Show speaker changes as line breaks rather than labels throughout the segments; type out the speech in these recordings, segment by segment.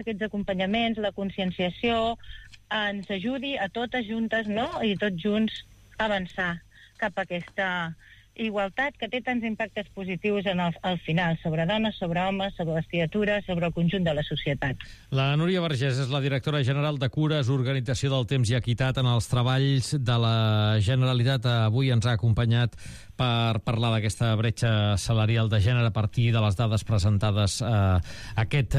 aquests acompanyaments, la conscienciació, ens ajudi a totes juntes, no?, i tots junts avançar cap a aquesta igualtat que té tants impactes positius al final, sobre dones, sobre homes, sobre les criatures, sobre el conjunt de la societat.
La Núria Vergés és la directora general de Cures, Organització del Temps i Equitat en els treballs de la Generalitat. Avui ens ha acompanyat per parlar d'aquesta bretxa salarial de gènere a partir de les dades presentades aquest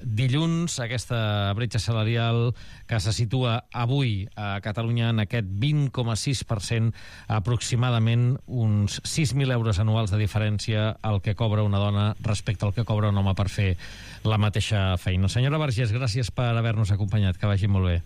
dilluns, aquesta bretxa salarial que se situa avui a Catalunya en aquest 20,6%, aproximadament uns 6.000 euros anuals de diferència al que cobra una dona respecte al que cobra un home per fer la mateixa feina. Senyora Vergés, gràcies per haver-nos acompanyat, que vagi molt bé.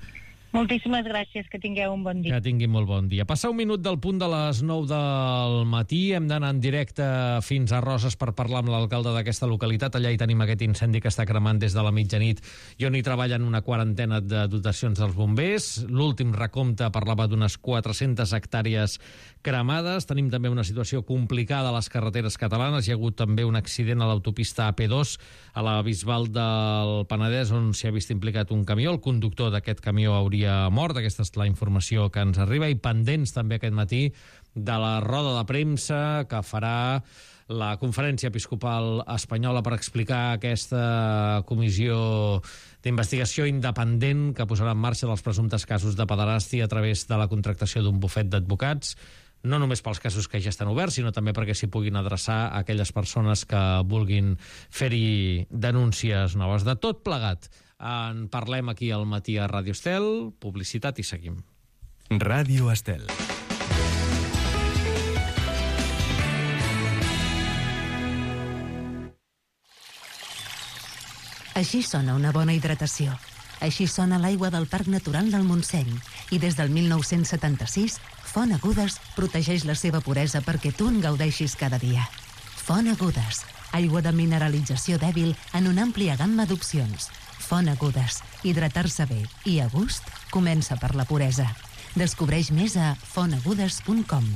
Moltíssimes gràcies, que tingueu un bon dia.
Que tingui molt bon dia. Passa un minut del punt de les 9 del matí, hem d'anar en directe fins a Roses per parlar amb l'alcalde d'aquesta localitat. Allà hi tenim aquest incendi que està cremant des de la mitjanit i on hi treballen una quarantena de dotacions dels bombers. L'últim recompte parlava d'unes 400 hectàrees cremades. Tenim també una situació complicada a les carreteres catalanes. Hi ha hagut també un accident a l'autopista AP2 a la Bisbal del Penedès, on s'hi ha vist implicat un camió. El conductor d'aquest camió hauria mort. Aquesta és la informació que ens arriba, i pendents també aquest matí de la roda de premsa que farà la Conferència Episcopal Espanyola per explicar aquesta comissió d'investigació independent que posarà en marxa dels presumptes casos de pederàstia a través de la contractació d'un bufet d'advocats, no només pels casos que ja estan oberts, sinó també perquè s'hi puguin adreçar a aquelles persones que vulguin fer-hi denúncies noves. De tot plegat en parlem aquí al matí a Ràdio Estel. Publicitat i seguim.
Ràdio Estel.
Així sona una bona hidratació. Així sona l'aigua del Parc Natural del Montseny. I des del 1976, Font Agudes protegeix la seva puresa perquè tu en gaudeixis cada dia. Font Agudes, aigua de mineralització dèbil en una àmplia gamma d'opcions. Font Agudes, hidratar-se bé i a gust comença per la puresa. Descobreix més a fontagudes.com.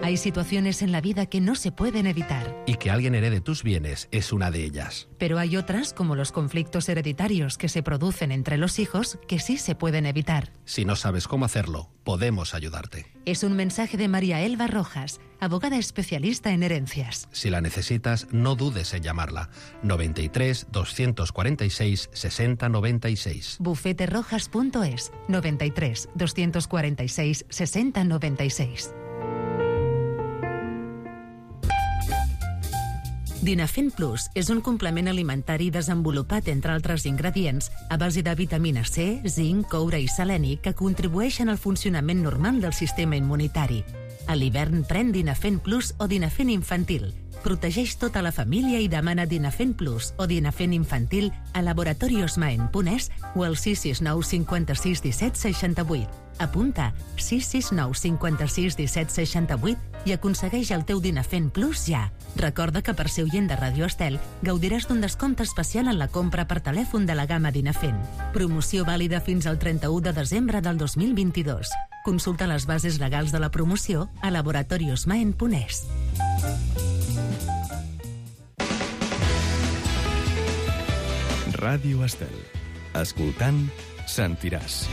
Hay situaciones en la vida que no se pueden evitar.
Y que alguien herede tus bienes es una de ellas.
Pero hay otras, como los conflictos hereditarios que se producen entre los hijos, que sí se pueden evitar.
Si no sabes cómo hacerlo, podemos ayudarte.
Es un mensaje de María Elba Rojas, abogada especialista en herencias.
Si la necesitas, no dudes en llamarla. 93 246 60 96.
Bufeterojas.es 93 246 60 96. Dinafen Plus és un complement alimentari desenvolupat, entre altres ingredients, a base de vitamina C, zinc, coure i seleni que contribueixen al funcionament normal del sistema immunitari. A l'hivern pren Dinafen Plus o Dinafen Infantil. Protegeix tota la família i demana Dinafen Plus o Dinafen Infantil a laboratoriosmaen.es o al 669 56 17 68. Apunta 669 56 17 68 i aconsegueix el teu Dinafen Plus ja. Recorda que per ser oient de Ràdio Estel gaudiràs d'un descompte especial en la compra per telèfon de la gamma Dinafen. Promoció vàlida fins al 31 de desembre del 2022. Consulta les bases legals de la promoció a laboratoriosmaen.es.
Ràdio Estel. Escoltant, sentiràs.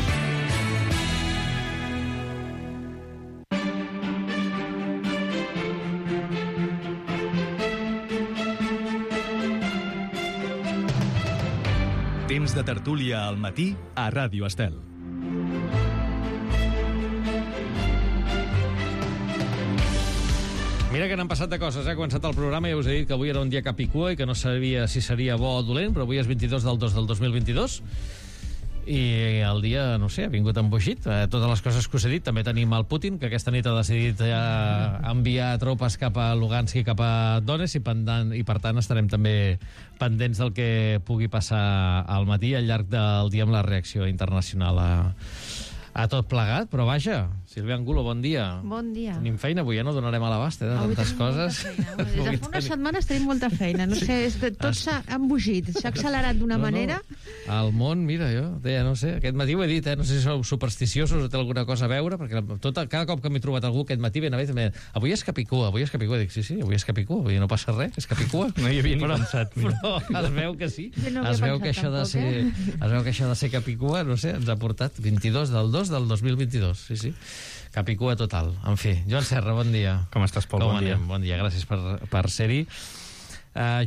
Temps de tertúlia al matí a Ràdio Estel.
Mira que n'han passat de coses, Ha començat el programa i ja us he dit que avui era un dia cap i cua i que no sabia si seria bo o dolent, però avui és 22 del 2 del 2022 i el dia, no sé, ha vingut embogit. Totes les coses que us he dit. També tenim el Putin, que aquesta nit ha decidit enviar tropes cap a Lugansk i cap a Donetsk i per tant estarem també pendents del que pugui passar al matí al llarg del dia amb la reacció internacional a tot plegat, però vaja, Sílvia Angulo, bon dia.
Bon dia.
Tenim feina, avui ja no donarem a l'abast, de tantes coses.
Des de fa unes setmanes tenim molta feina, no sé, tot s'ha embogit, s'ha accelerat d'una manera.
El món, mira, jo deia, no sé, aquest matí ho he dit, no sé si sou supersticiosos o té alguna cosa a veure, perquè cada cop que m'he trobat algú aquest matí ben a veure, avui és Capicua, dic, sí, avui és Capicua, avui no passa res, és Capicua.
No hi havia ni pensat.
Però es veu que sí,
es veu que això
de ser Capicua, no sé, ens ha portat 22 del 2 del 2022, sí. Capicua total. En fi, Joan Serra, bon dia.
Com estàs, Pol? Bon dia.
Bon dia, gràcies per ser-hi.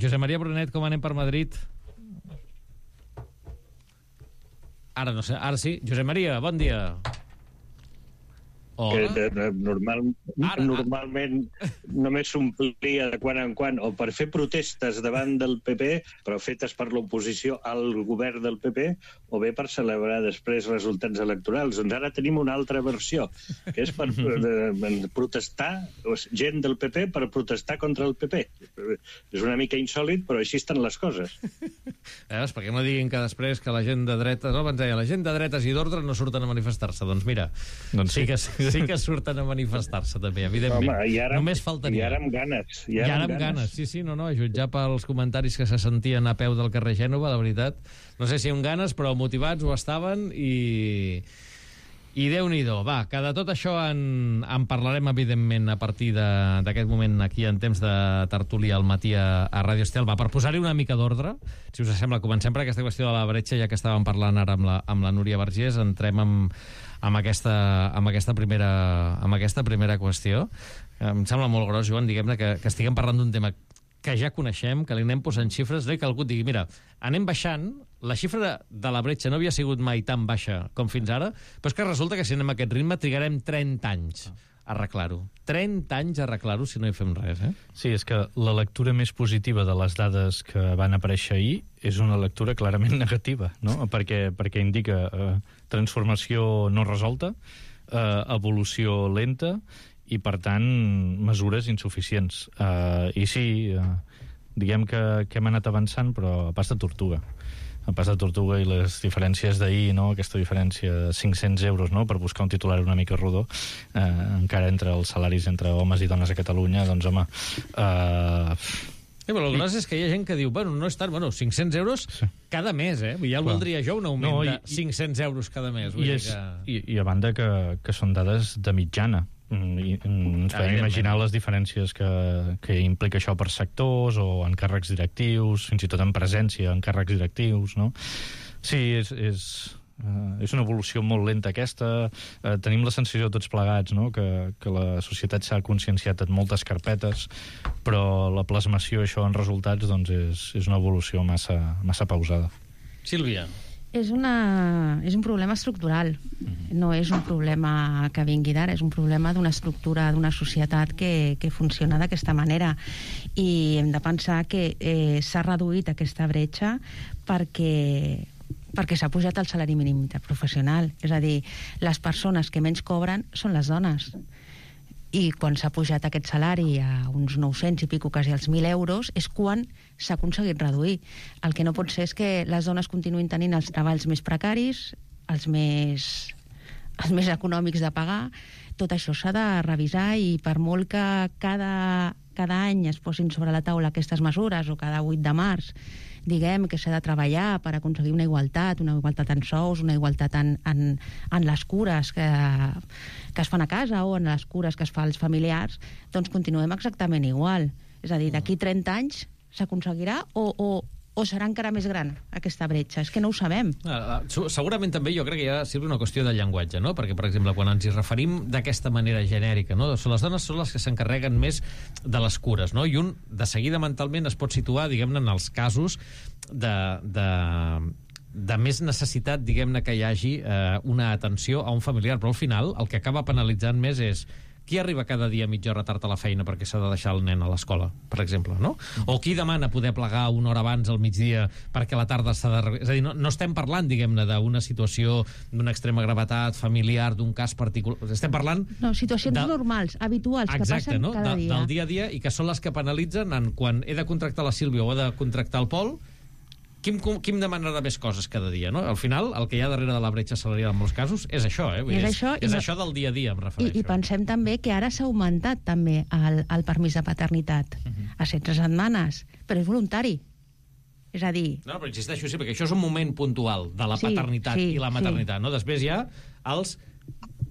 Josep Maria Brunet, com anem per Madrid? Ara no sé, ara sí. Josep Maria, bon dia.
Que normalment només s'omplia de quan en quan o per fer protestes davant del PP, però fetes per l'oposició al govern del PP, o bé per celebrar després resultats electorals. Doncs ara tenim una altra versió, que és per protestar, gent del PP per protestar contra el PP. És una mica insòlit, però així estan les coses.
Veus, perquè no diguin que després que la gent de dretes, no, abans deia, la gent de dretes i d'ordre no surten a manifestar-se. Doncs mira, sí que surten a manifestar-se també, evidentment.
Home,
només faltaria.
I ara amb ganes.
I ara amb ganes. Sí, no, a jutjar pels comentaris que se sentien a peu del carrer Gènova, la veritat. No sé si amb ganes, però motivats ho estaven i Déu-n'hi-do. Va, que de tot això en parlarem, evidentment, a partir d'aquest moment aquí en temps de tertúlia al matí a Ràdio Estel. Va, per posar-hi una mica d'ordre, si us sembla, comencem per aquesta qüestió de la bretxa, ja que estàvem parlant ara amb la Núria Vergés, entrem amb aquesta primera qüestió. Em sembla molt gros, Joan, diguem-ne, que estiguem parlant d'un tema que ja coneixem, que li anem posant xifres, que algú digui, mira, anem baixant, la xifra de la bretxa no havia sigut mai tan baixa com fins ara, però és que resulta que si anem a aquest ritme trigarem 30 anys a arreglar-ho. 30 anys a arreglar-ho si no hi fem res,
Sí, és que la lectura més positiva de les dades que van aparèixer ahir és una lectura clarament negativa, no? Perquè indica transformació no resolta, evolució lenta i, per tant, mesures insuficients. I sí, diguem que hem anat avançant, però a pas de tortuga. A pas de tortuga, i les diferències d'ahir, no? Aquesta diferència de 500 euros, no? Per buscar un titular una mica rodó, encara entre els salaris entre homes i dones a Catalunya, doncs, home...
Però el gros és que hi ha gent que diu, no és tant, 500 euros cada mes, Ja el voldria jo, un augment de 500 euros cada mes.
I a banda que són dades de mitjana. I ens podem imaginar les diferències que implica això per sectors o en càrrecs directius, fins i tot en presència en càrrecs directius, no? Sí, és una evolució molt lenta aquesta. Tenim la sensació tots plegats, no? que la societat s'ha conscienciat en moltes carpetes, però la plasmació això en resultats doncs és una evolució massa pausada.
Sílvia.
És un problema estructural, no és un problema que vingui d'ara, és un problema d'una estructura, d'una societat que funciona d'aquesta manera, i hem de pensar que s'ha reduït aquesta bretxa perquè s'ha pujat el salari mínim interprofessional, és a dir, les persones que menys cobren són les dones. I quan s'ha pujat aquest salari a uns 900 i pico, quasi als 1.000 euros, és quan s'ha aconseguit reduir. El que no pot ser és que les dones continuïn tenint els treballs més precaris, els més econòmics de pagar. Tot això s'ha de revisar, i per molt que cada any es posin sobre la taula aquestes mesures, o cada 8 de març diguem que s'ha de treballar per aconseguir una igualtat en sous, una igualtat en les cures que es fan a casa o en les cures que es fa als familiars, doncs continuem exactament igual. És a dir, d'aquí 30 anys s'aconseguirà o serà encara més gran aquesta bretxa? És que no ho sabem.
Segurament també jo crec que hi ha una qüestió de llenguatge, no? Perquè, per exemple, quan ens hi referim d'aquesta manera genèrica, no? Les dones són les que s'encarreguen més de les cures, no? I un, de seguida, mentalment es pot situar, diguem-ne, en els casos de més necessitat, diguem-ne, que hi hagi una atenció a un familiar, però al final el que acaba penalitzant més és qui arriba cada dia mitja hora tard a la feina perquè s'ha de deixar el nen a l'escola, per exemple, no? O qui demana poder plegar una hora abans al migdia perquè a la tarda s'ha de... És a dir, no estem parlant, diguem-ne, d'una situació d'una extrema gravetat familiar, d'un cas particular. Estem parlant...
No, situacions normals, habituals, que passen cada dia.
Del dia a dia, i que són les que penalitzen quan he de contractar la Sílvia o he de contractar el Pol. qui em demanarà més coses cada dia, no? Al final, el que hi ha darrere de la bretxa salarial en molts casos és això, és això del dia a dia, em refereixo.
I pensem també que ara s'ha augmentat també el permís de paternitat a 16 setmanes, però és voluntari. És a dir...
No, però insisteixo, sí, perquè això és un moment puntual de la paternitat i la maternitat, no? Després hi ha els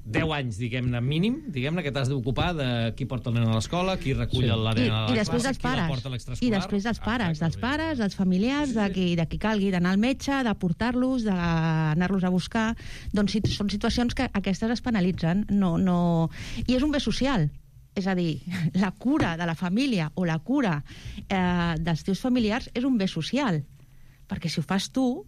10 anys, diguem-ne, mínim, diguem-ne, que t'has d'ocupar de qui porta el nen a l'escola, qui recull la nena a la classe, qui la porta a l'extraescolar...
I després dels pares, dels familiars, de qui calgui d'anar al metge, de portar-los, d'anar-los a buscar... Doncs són situacions que aquestes es penalitzen. I és un bé social. És a dir, la cura de la família o la cura dels teus familiars és un bé social. Perquè si ho fas tu...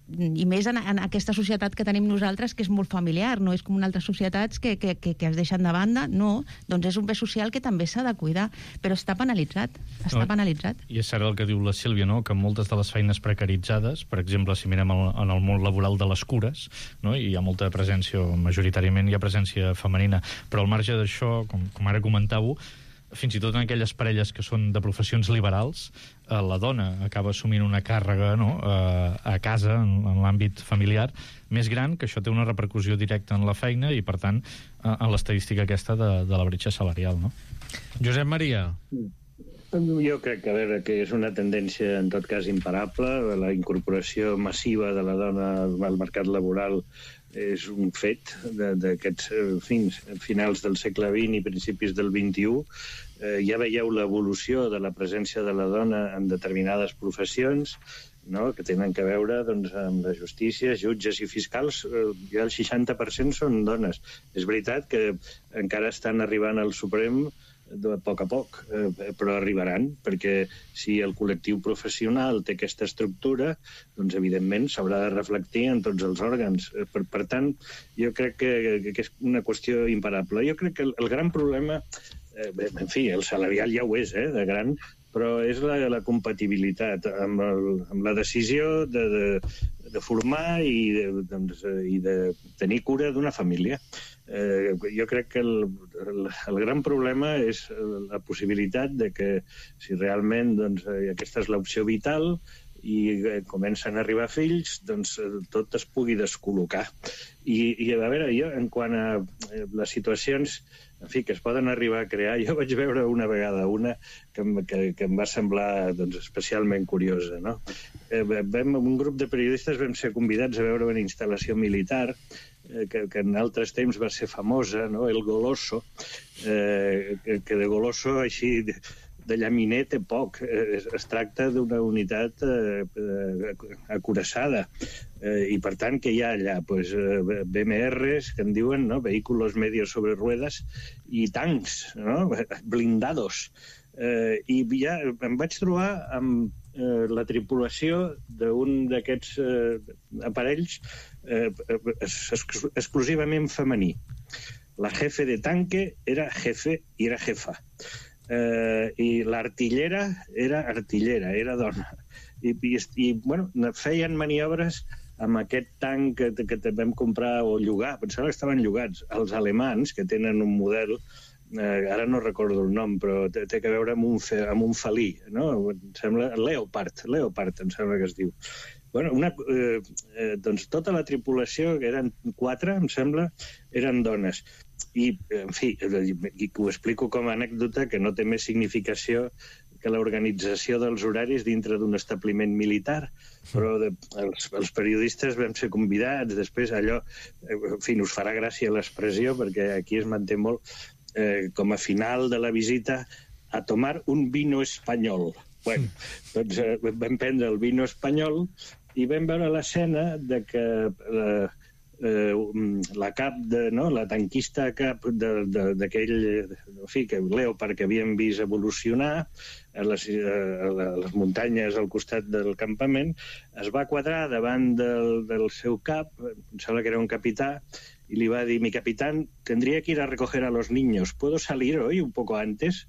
i més en aquesta societat que tenim nosaltres, que és molt familiar, no és com en altres societats que es deixen de banda, no, doncs és un bé social que també s'ha de cuidar, però està penalitzat, penalitzat.
I és cert el que diu la Sílvia, no?, que moltes de les feines precaritzades, per exemple, si mirem en el món laboral de les cures, no?, hi ha molta presència, majoritàriament hi ha presència femenina, però al marge d'això, com ara comentàveu, fins i tot en aquelles parelles que són de professions liberals, la dona acaba assumint una càrrega, no?, a casa, en l'àmbit familiar, més gran, que això té una repercussió directa en la feina i, per tant, en l'estadística aquesta de la bretxa salarial, no?
Josep Maria.
Jo crec que, a veure, que és una tendència, en tot cas, imparable. La incorporació massiva de la dona al mercat laboral és un fet d'aquests finals del segle XX i principis del XXI. Ja veieu l'evolució de la presència de la dona en determinades professions, no?, que tenen a veure amb la justícia, jutges i fiscals. Ja el 60% són dones. És veritat que encara estan arribant al Suprem a poc, però arribaran, perquè si el col·lectiu professional té aquesta estructura, doncs evidentment s'haurà de reflectir en tots els òrgans. Per tant, jo crec que és una qüestió imparable. Jo crec que el gran problema, en fi, el salarial ja ho és, de gran, però és la compatibilitat amb la decisió de formar i de tenir cura d'una família. Jo crec que el gran problema és la possibilitat de que, si realment aquesta és l'opció vital i comencen a arribar fills, doncs tot es pugui descol·locar. I a veure, jo, en quant a les situacions que es poden arribar a crear, jo vaig veure una vegada una que em va semblar especialment curiosa, no? Un grup de periodistes vam ser convidats a veure una instal·lació militar que en altres temps va ser famosa, no?, el Goloso, que de Goloso així de llaminer té poc. Es tracta d'una unitat acoraçada. I, per tant, que hi ha allà? BMRs, que en diuen, no?, vehículos medios sobre ruedas, i tancs, no?, blindados. I ja em vaig trobar amb la tripulació d'un d'aquests aparells exclusivament femení. La jefe de tanque era jefe i era jefa. I l'artillera era artillera, era dona. I bueno, feien maniobres amb aquest tanc que vam comprar o llogar. Pensava que estaven llogats. Els alemans, que tenen un model, ara no recordo el nom, però té a veure amb un felí, no? Em sembla Leopard, em sembla que es diu. Bueno, doncs tota la tripulació, que eren 4, em sembla, eren dones. I, en fi, ho explico com a anècdota, que no té més significació que l'organització dels horaris dintre d'un establiment militar, però els periodistes vam ser convidats, després allò, en fi, us farà gràcia l'expressió, perquè aquí es manté molt, com a final de la visita, a tomar un vino espanyol. Bueno, doncs vam prendre el vino espanyol i vam veure l'escena de que la cap, la tanquista cap d'aquell, en fi, que Leopard, que havíem vist evolucionar a les muntanyes al costat del campament, es va quadrar davant del seu cap, em sembla que era un capità, y le iba a decir: mi capitán, tendría que ir a recoger a los niños, ¿puedo salir hoy un poco antes?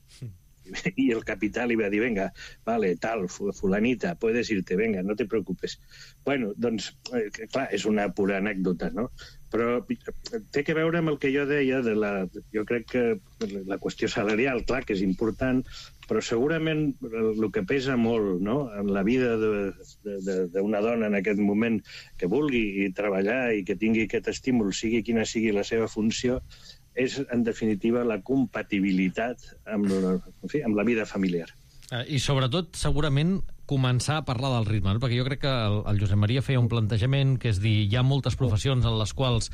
Y el capitán le iba a dir: venga, vale, tal, fulanita, puedes irte, venga, no te preocupes. Bueno, doncs, clar, és una pura anècdota, no? Però té que veure amb el que jo deia jo crec que la qüestió salarial, clar, que és important, però segurament el que pesa molt, no?, en la vida d'una dona en aquest moment que vulgui treballar i que tingui aquest estímul, sigui quina sigui la seva funció, és, en definitiva, la compatibilitat amb la vida familiar.
I sobretot, segurament, començar a parlar del ritme, no? Perquè jo crec que el Josep Maria feia un plantejament que és dir, hi ha moltes professions en les quals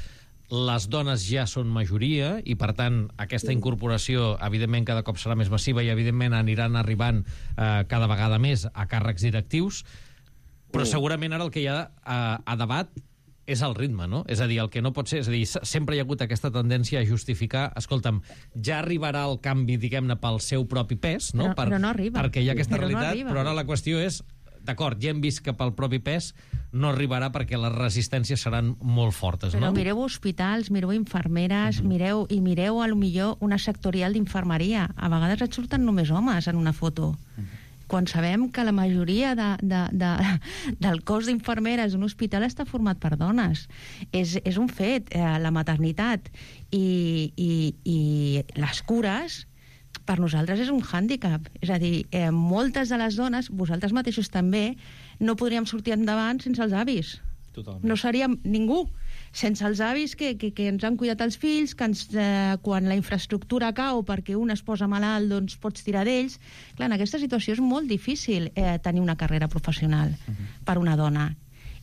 les dones ja són majoria i, per tant, aquesta incorporació, evidentment, cada cop serà més massiva i, evidentment, aniran arribant cada vegada més a càrrecs directius, però segurament ara el que hi ha a debat és el ritme, no? És a dir, el que no pot ser... És a dir, sempre hi ha hagut aquesta tendència a justificar, escolta'm, ja arribarà el canvi, diguem-ne, pel seu propi pes, no?
Però no arriba.
Perquè hi ha aquesta realitat,
no
però ara la qüestió és, d'acord, ja hem vist que pel propi pes no arribarà perquè les resistències seran molt fortes, no?
Però mireu hospitals, mireu infermeres, mireu a lo millor una sectorial d'infermeria. A vegades et surten només homes en una foto. Quan sabem que la majoria del cos d'infermeres d'un hospital està format per dones. És un fet, la maternitat i les cures per nosaltres és un hàndicap. És a dir, moltes de les dones, vosaltres mateixos també, no podríem sortir endavant sense els avis.
Totalment.
No seríem ningú. Sense els avis que ens han cuidat els fills, que quan la infraestructura cau perquè un es posa malalt, doncs pots tirar d'ells. Clar, en aquesta situació és molt difícil tenir una carrera professional per una dona.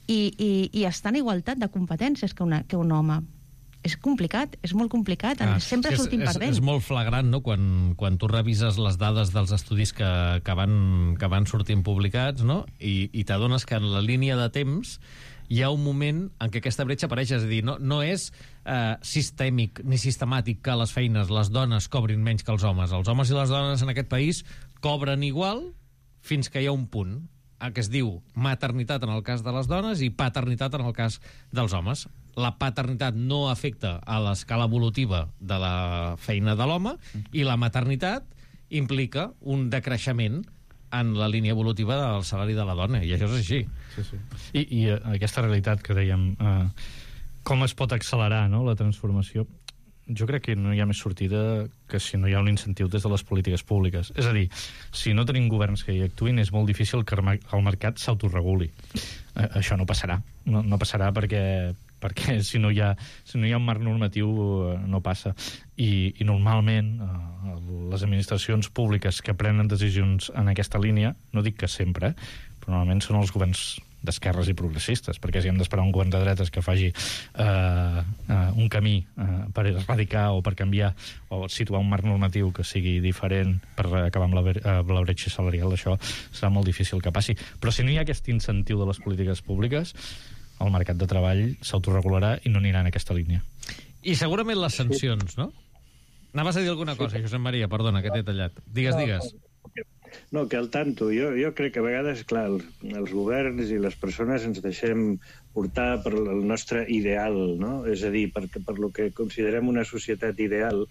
I estar en igualtat de competències que un home. És complicat, és molt complicat. Sempre sortim perdent.
És molt flagrant, no?, quan tu revises les dades dels estudis que van sortint publicats, no?, i t'adones que en la línia de temps hi ha un moment en què aquesta bretxa apareix, és a dir, no és sistèmic ni sistemàtic que a les feines les dones cobrin menys que els homes. Els homes i les dones en aquest país cobren igual fins que hi ha un punt que es diu maternitat en el cas de les dones i paternitat en el cas dels homes. La paternitat no afecta a l'escala evolutiva de la feina de l'home i la maternitat implica un decreixement en la línia evolutiva del salari de la dona, i això és així.
Sí. I aquesta realitat que dèiem, com es pot accelerar, no?, la transformació, jo crec que no hi ha més sortida que si no hi ha un incentiu des de les polítiques públiques. És a dir, si no tenim governs que hi actuïn, és molt difícil que el mercat s'autoreguli. Això no passarà. No passarà perquè si no hi ha un marc normatiu no passa. I normalment les administracions públiques que prenen decisions en aquesta línia, no dic que sempre, però normalment són els governs d'esquerres i progressistes, perquè si hem d'esperar un govern de dretes que faci un camí per erradicar o per canviar o situar un marc normatiu que sigui diferent per acabar amb la bretxa salarial, això serà molt difícil que passi. Però si no hi ha aquest incentiu de les polítiques públiques, el mercat de treball s'autoregularà i no anirà en aquesta línia.
I segurament les sancions, no? Anaves a dir alguna cosa, Josep Maria, perdona, que t'he tallat. Digues.
No, que al tanto. Jo crec que a vegades, clar, els governs i les persones ens deixem portar per el nostre ideal, no? És a dir, per lo que considerem una societat ideal,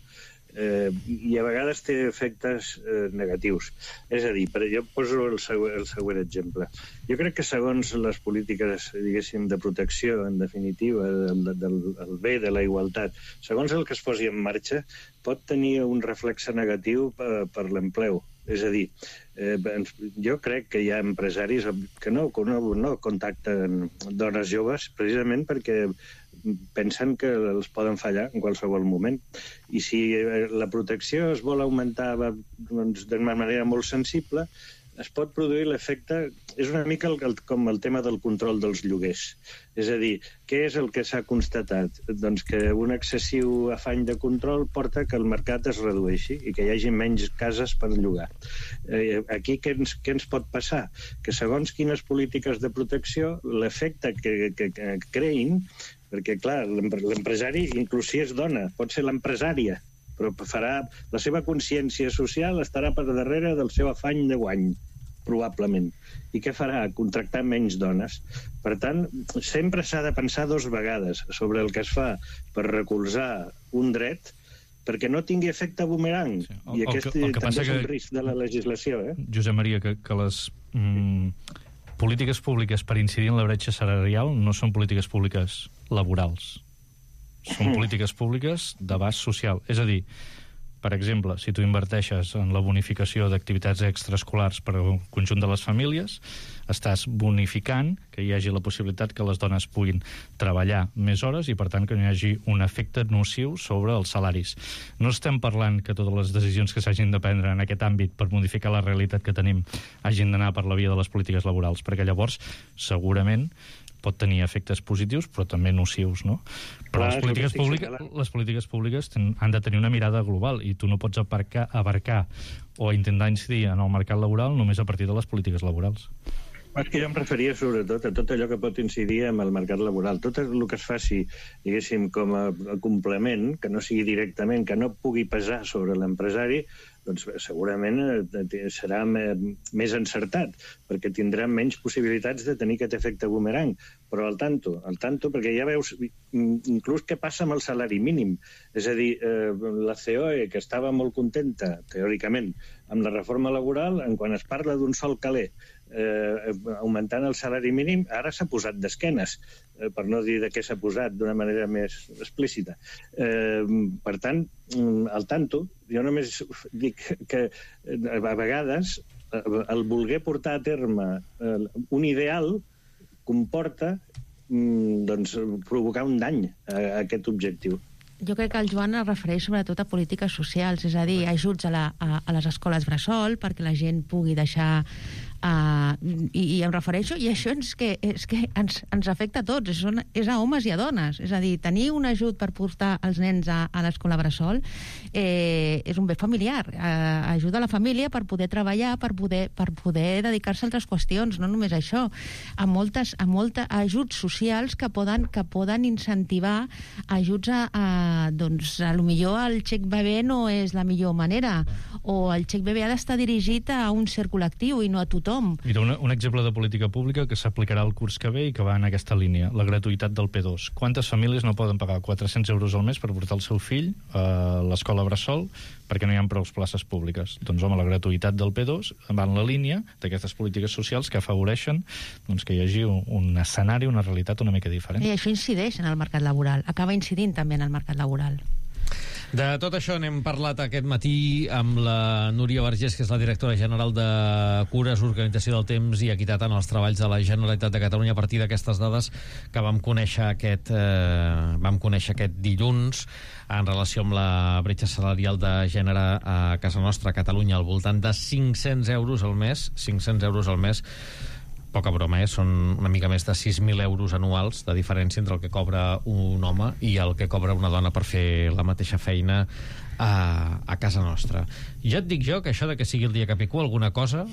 i a vegades té efectes negatius. És a dir, jo poso el següent exemple. Jo crec que segons les polítiques, diguéssim, de protecció, en definitiva, del bé, de la igualtat, segons el que es posi en marxa, pot tenir un reflexe negatiu per l'empleu. És a dir, jo crec que hi ha empresaris que no contacten dones joves precisament perquè pensen que els poden fallar en qualsevol moment. I si la protecció es vol augmentar d'una manera molt sensible, es pot produir l'efecte... És una mica com el tema del control dels lloguers. És a dir, què és el que s'ha constatat? Doncs que un excessiu afany de control porta que el mercat es redueixi i que hi hagi menys cases per llogar. Aquí què ens pot passar? Que segons quines polítiques de protecció, l'efecte que creïn, perquè, clar, l'empresari, inclús si és dona, pot ser l'empresària, però farà la seva consciència social estarà per darrere del seu afany de guany, probablement. I què farà? Contractar menys dones. Per tant, sempre s'ha de pensar 2 vegades sobre el que es fa per recolzar un dret perquè no tingui efecte bumerang. Sí. I aquest també és un risc de la legislació.
Josep Maria, que les polítiques públiques per incidir en la bretxa salarial no són polítiques públiques laborals. Són polítiques públiques d'abast social. És a dir, Per exemple, si tu inverteixes en la bonificació d'activitats extraescolars per al conjunt de les famílies, estàs bonificant que hi hagi la possibilitat que les dones puguin treballar més hores i, per tant, que no hi hagi un efecte nociu sobre els salaris. No estem parlant que totes les decisions que s'hagin de prendre en aquest àmbit per modificar la realitat que tenim hagin d'anar per la via de les polítiques laborals, perquè llavors, segurament, pot tenir efectes positius, però també nocius, no? Però les polítiques públiques han de tenir una mirada global i tu no pots abarcar o intentar incidir en el mercat laboral només a partir de les polítiques laborals.
És que jo em referia sobretot a tot allò que pot incidir en el mercat laboral. Tot el que es faci, diguéssim, com a complement, que no sigui directament, que no pugui pesar sobre l'empresari, doncs segurament serà més encertat, perquè tindrà menys possibilitats de tenir aquest efecte boomerang. Però al tanto, perquè ja veus inclús què passa amb el salari mínim. És a dir, la COE, que estava molt contenta, teòricament, amb la reforma laboral, quan es parla d'un sol caler augmentant el salari mínim, ara s'ha posat d'esquenes, per no dir de què s'ha posat d'una manera més explícita. Per tant, al tanto, jo només dic que a vegades el voler portar a terme un ideal comporta provocar un dany a aquest objectiu.
Jo crec que el Joan es refereix sobretot a polítiques socials, és a dir, ajuts a les escoles bressol perquè la gent pugui deixar... I em refereixo, i això és que ens afecta a tots, és a homes i a dones. És a dir, tenir un ajut per portar els nens a l'escola bressol és un bé familiar. Ajuda a la família per poder treballar, per poder dedicar-se a altres qüestions, no només això. A molts ajuts socials que poden incentivar ajuts doncs, a lo millor el xec bebè no és la millor manera, o el xec bebè ha d'estar dirigit a un cert col·lectiu i no a tothom.
Mira, un exemple de política pública que s'aplicarà el curs que ve i que va en aquesta línia, la gratuïtat del P2. Quantes famílies no poden pagar 400 euros al mes per portar el seu fill a l'escola bressol perquè no hi ha prou places públiques? Doncs, home, la gratuïtat del P2 va en la línia d'aquestes polítiques socials que afavoreixen que hi hagi un escenari, una realitat una mica diferent.
I això incideix en el mercat laboral, acaba incidint també en el mercat laboral.
De tot això n'hem parlat aquest matí amb la Núria Vergés, que és la directora general de Cures, Organització del Temps i Equitat en els Treballs de la Generalitat de Catalunya, a partir d'aquestes dades que vam conèixer aquest dilluns en relació amb la bretxa salarial de gènere a casa nostra, a Catalunya, al voltant de 500 euros al mes, 500 euros al mes. Poca broma, són una mica més de 6.000 euros anuals de diferència entre el que cobra un home i el que cobra una dona per fer la mateixa feina a casa nostra. Ja et dic jo que això de que sigui el dia que pico alguna cosa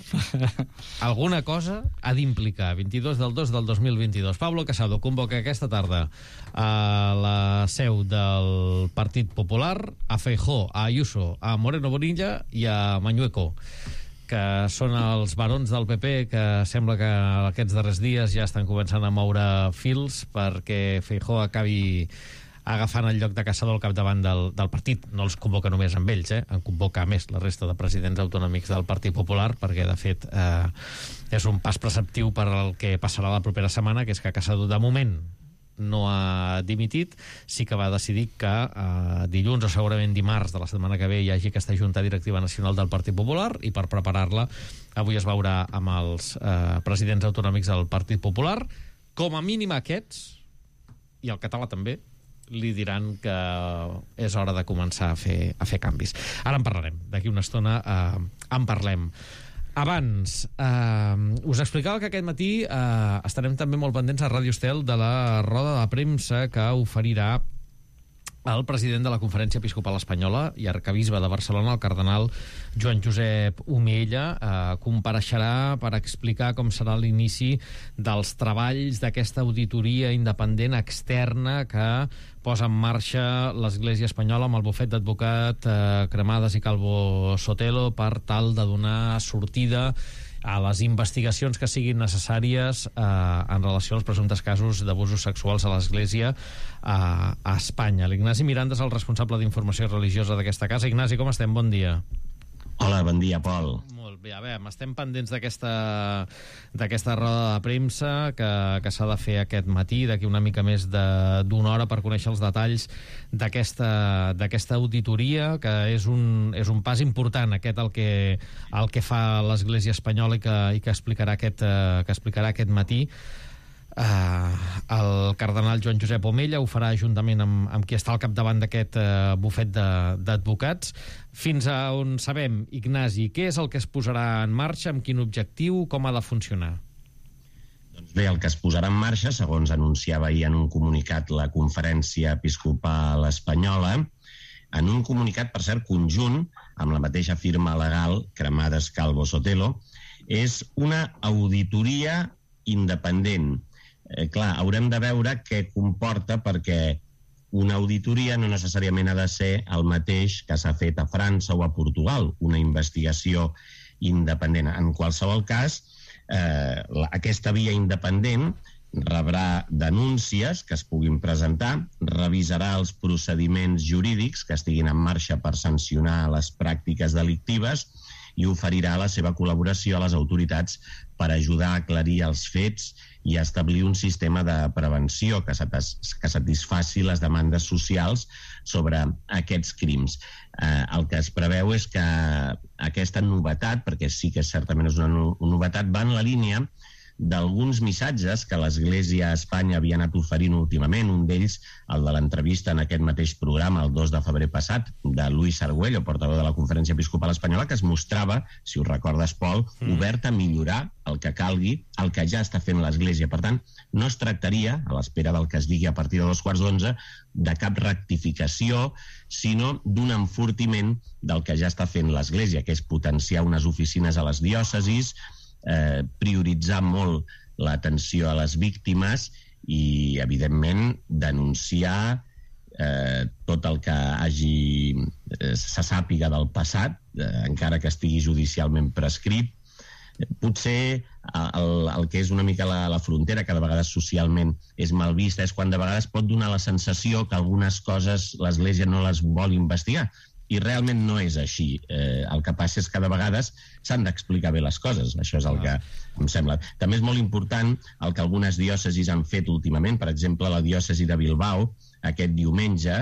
ha d'implicar. 22 del 2 del 2022. Pablo Casado convoca aquesta tarda a la seu del Partit Popular a Feijóo, a Ayuso, a Moreno Bonilla i a Mañueco, que són els barons del PP que sembla que aquests darrers dies ja estan començant a moure fils perquè Feijóo acabi agafant el lloc de Casado al capdavant del partit. No els convoca només amb ells, en convoca a més la resta de presidents autonòmics del Partit Popular, perquè de fet és un pas preceptiu per al que passarà la propera setmana, que és que Casado de moment no ha dimitit, sí que va decidir que dilluns o segurament dimarts de la setmana que ve hi hagi aquesta Junta Directiva Nacional del Partit Popular, i per preparar-la avui es veurà amb els presidents autonòmics del Partit Popular. Com a mínim aquests, i el català també, li diran que és hora de començar a fer canvis. Ara en parlarem, d'aquí una estona en parlem. Abans, us explicava que aquest matí estarem també molt pendents a Ràdio Estel de la roda de premsa que oferirà el president de la Conferència Episcopal Espanyola i arcabisbe de Barcelona, el cardenal Joan Josep Omeella, compareixerà per explicar com serà l'inici dels treballs d'aquesta auditoria independent externa que posa en marxa l'Església Espanyola amb el bufet d'advocat Cremades i Calvo Sotelo per tal de donar sortida a les investigacions que siguin necessàries en relació als presumptes casos d'abusos sexuals a l'Església a Espanya. L'Ignasi Miranda és el responsable d'informació religiosa d'aquesta casa. Ignasi, com estem? Bon dia.
Hola, bon dia, Pol.
Molt Bé, a veure, estem pendents d'aquesta roda de premsa que s'ha de fer aquest matí, d'aquí una mica més d'una hora, per conèixer els detalls d'aquesta auditoria, que és un pas important, aquest el que fa l'Església Espanyola i que explicarà aquest matí. El cardenal Joan Josep Omella ho farà juntament amb qui està al capdavant d'aquest bufet d'advocats. Fins a on sabem, Ignasi, què és el que es posarà en marxa, amb quin objectiu, com ha de funcionar?
Doncs bé, el que es posarà en marxa, segons anunciava ahir en un comunicat la Conferència Episcopal Espanyola, en un comunicat, per cert, conjunt, amb la mateixa firma legal, Cremades Calvo Sotelo, és una auditoria independent. Clar, haurem de veure què comporta, perquè una auditoria no necessàriament ha de ser el mateix que s'ha fet a França o a Portugal, una investigació independent. En qualsevol cas, aquesta via independent rebrà denúncies que es puguin presentar, revisarà els procediments jurídics que estiguin en marxa per sancionar les pràctiques delictives i oferirà la seva col·laboració a les autoritats per ajudar a aclarir els fets i a establir un sistema de prevenció que satisfaci les demandes socials sobre aquests crims. El que es preveu és que aquesta novetat, perquè sí que certament és una novetat, va en la línia d'alguns missatges que l'Església a Espanya havia anat oferint últimament, un d'ells, el de l'entrevista en aquest mateix programa, el 2 de febrer passat, de Luis Argüello, portaveu de la Conferència Episcopal Espanyola, que es mostrava, si ho recordes, Pol, obert a millorar el que calgui, el que ja està fent l'Església. Per tant, no es tractaria, a l'espera del que es digui a partir de 2:15, de cap rectificació, sinó d'un enfortiment del que ja està fent l'Església, que és potenciar unes oficines a les diòcesis, prioritzar molt l'atenció a les víctimes i, evidentment, denunciar tot el que se sàpiga del passat, encara que estigui judicialment prescrit. Potser el que és una mica la frontera, que de vegades socialment és mal vista, és quan de vegades pot donar la sensació que algunes coses l'Església no les vol investigar. I realment no és així. El que passa és que de vegades s'han d'explicar bé les coses. Això és el que em sembla. També és molt important el que algunes diòcesis han fet últimament. Per exemple, la diòcesi de Bilbao, aquest diumenge,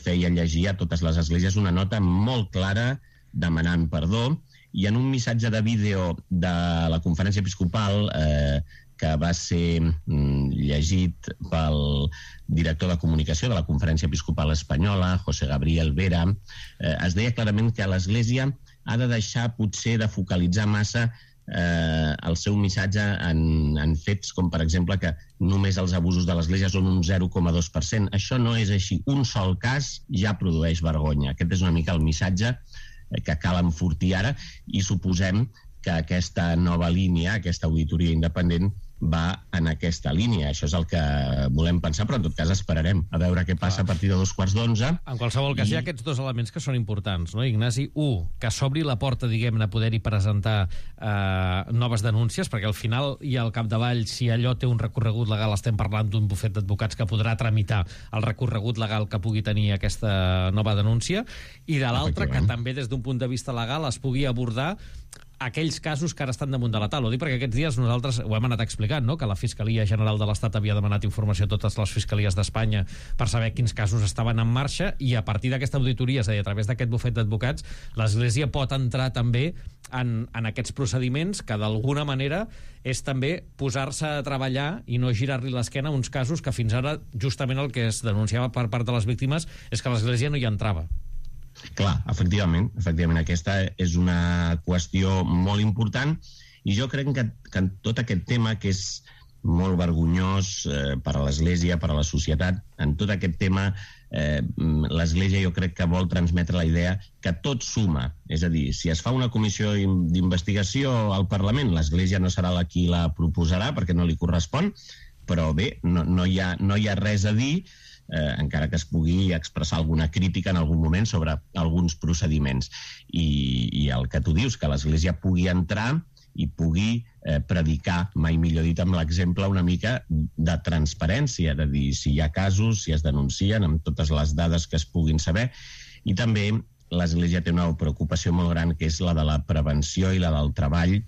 feia llegir a totes les esglésies una nota molt clara demanant perdó, i en un missatge de vídeo de la Conferència Episcopal que va ser llegit pel director de comunicació de la Conferència Episcopal Espanyola, José Gabriel Vera, es deia clarament que l'Església ha de deixar potser de focalitzar massa el seu missatge en fets com, per exemple, que només els abusos de l'Església són un 0,2%. Això no és així. Un sol cas ja produeix vergonya. Aquest és una mica el missatge que cal enfortir ara, i suposem que aquesta nova línia, aquesta auditoria independent, va en aquesta línia. Això és el que volem pensar, però en tot cas esperarem a veure què passa a partir de 2:15.
En qualsevol cas, hi ha aquests dos elements que són importants, no, Ignasi? Un, que s'obri la porta, diguem-ne, a poder-hi presentar noves denúncies, perquè al final i al capdavall, si allò té un recorregut legal, estem parlant d'un bufet d'advocats que podrà tramitar el recorregut legal que pugui tenir aquesta nova denúncia, i de l'altra, que també des d'un punt de vista legal es pugui abordar aquells casos que ara estan damunt de la taula. Ho dic perquè aquests dies nosaltres ho hem anat explicant, no? Que la Fiscalia General de l'Estat havia demanat informació a totes les fiscalies d'Espanya per saber quins casos estaven en marxa, i a partir d'aquesta auditoria, és a dir, a través d'aquest bufet d'advocats, l'Església pot entrar també en aquests procediments, que d'alguna manera és també posar-se a treballar i no girar-li l'esquena a uns casos que fins ara justament el que es denunciava per part de les víctimes és que l'Església no hi entrava.
Clar, efectivament, aquesta és una qüestió molt important, i jo crec que en tot aquest tema, que és molt vergonyós per a l'Església, per a la societat, en tot aquest tema l'Església jo crec que vol transmetre la idea que tot suma. És a dir, si es fa una comissió d'investigació al Parlament, l'Església no serà la qui la proposarà perquè no li correspon, però bé, no hi ha res a dir, encara que es pugui expressar alguna crítica en algun moment sobre alguns procediments. I el que tu dius, que l'Església pugui entrar i pugui predicar, mai millor dit, amb l'exemple una mica de transparència, de dir si hi ha casos, si es denuncien, amb totes les dades que es puguin saber, i també l'Església té una preocupació molt gran, que és la de la prevenció i la del treball,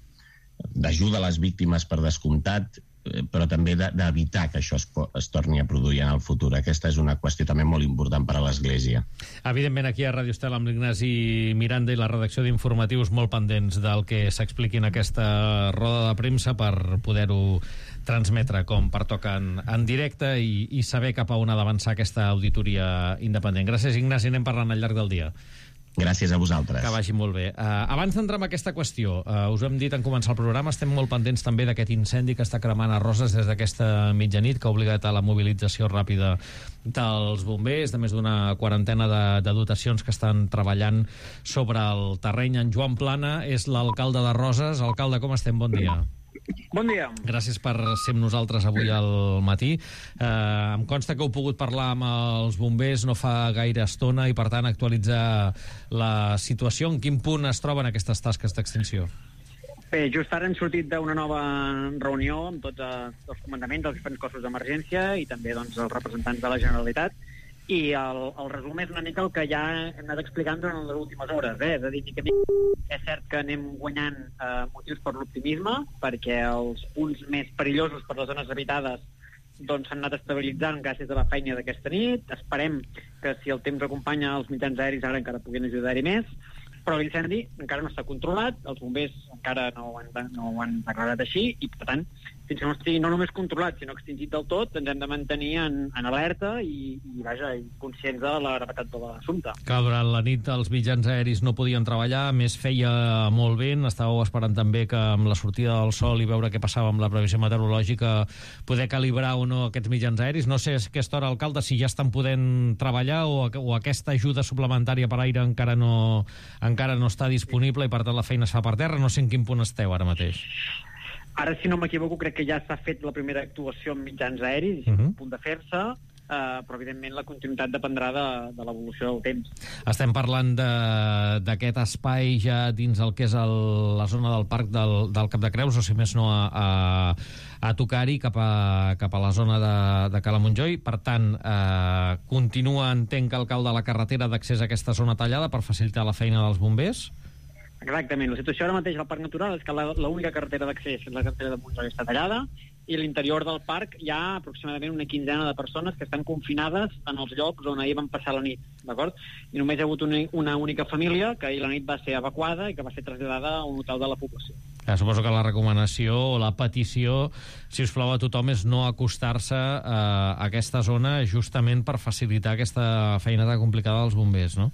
d'ajuda a les víctimes per descomptat, però també d'evitar que això es torni a produir en el futur. Aquesta és una qüestió també molt important per a l'Església.
Evidentment, aquí a Ràdio Estel amb l'Ignasi Miranda i la redacció d'informatius molt pendents del que s'expliqui en aquesta roda de premsa per poder-ho transmetre com pertoca en directe i saber cap a on ha d'avançar aquesta auditoria independent. Gràcies, Ignasi, anem parlant al llarg del dia.
Gràcies a vosaltres.
Que vagi molt bé. Abans d'entrar en aquesta qüestió, us ho hem dit en començar el programa, estem molt pendents també d'aquest incendi que està cremant a Roses des d'aquesta mitjanit, que ha obligat a la mobilització ràpida dels bombers, de més d'una quarantena de dotacions que estan treballant sobre el terreny. En Joan Plana és l'alcalde de Roses. Alcalde, com estem? Bon dia.
Bon dia.
Gràcies per ser amb nosaltres avui al matí. Em consta que heu pogut parlar amb els bombers no fa gaire estona i, per tant, actualitzar la situació. En quin punt es troben aquestes tasques d'extinció?
Bé, just ara hem sortit d'una nova reunió amb tots els comandaments dels diferents cossos d'emergència i també doncs, els representants de la Generalitat, i el resum és una mica el que ja hem anat explicant durant les últimes hores. És a dir, és cert que anem guanyant motius per l'optimisme, perquè els punts més perillosos per les zones habitades doncs s'han anat estabilitzant gràcies a la feina d'aquesta nit. Esperem que si el temps acompanya els mitjans aeris ara encara puguin ajudar-hi més, però l'incendi encara no està controlat, els bombers encara no ho han declarat així, i per tant, fins que no estigui no només controlat, sinó extingit del tot, ens hem de mantenir en alerta i conscients de la gravetat de l'assumpte.
Que durant la nit els mitjans aeris no podien treballar, més feia molt vent, estàveu esperant també que amb la sortida del sol i veure què passava amb la previsió meteorològica poder calibrar o no aquests mitjans aeris. No sé a aquesta hora, alcalde, si ja estan podent treballar o aquesta ajuda suplementària per aire encara no està disponible i per tant la feina es fa per terra. No sé en quin punt esteu ara mateix.
Ara, si no m'equivoco, crec que ja s'ha fet la primera actuació en mitjans aeris, a punt de fer-se, però evidentment la continuïtat dependrà de l'evolució del temps.
Estem parlant d'aquest espai ja dins el que és la zona del parc del Cap de Creus, o si més no a tocar-hi cap a la zona de Cala Montjoi. Per tant, continua, entenc, alcalde, la carretera d'accés a aquesta zona tallada per facilitar la feina dels bombers?
Exactament. La situació ara mateix al Parc Natural és que l'única carretera d'accés, la carretera de Montjoi, està tallada, i a l'interior del parc hi ha aproximadament una quinzena de persones que estan confinades en els llocs on ahir van passar la nit, d'acord? I només hi ha hagut una única família que ahir la nit va ser evacuada i que va ser traslladada a un hotel de la població.
Suposo que la recomanació o la petició, si us plau, a tothom és no acostar-se a aquesta zona justament per facilitar aquesta feina tan complicada dels bombers, no?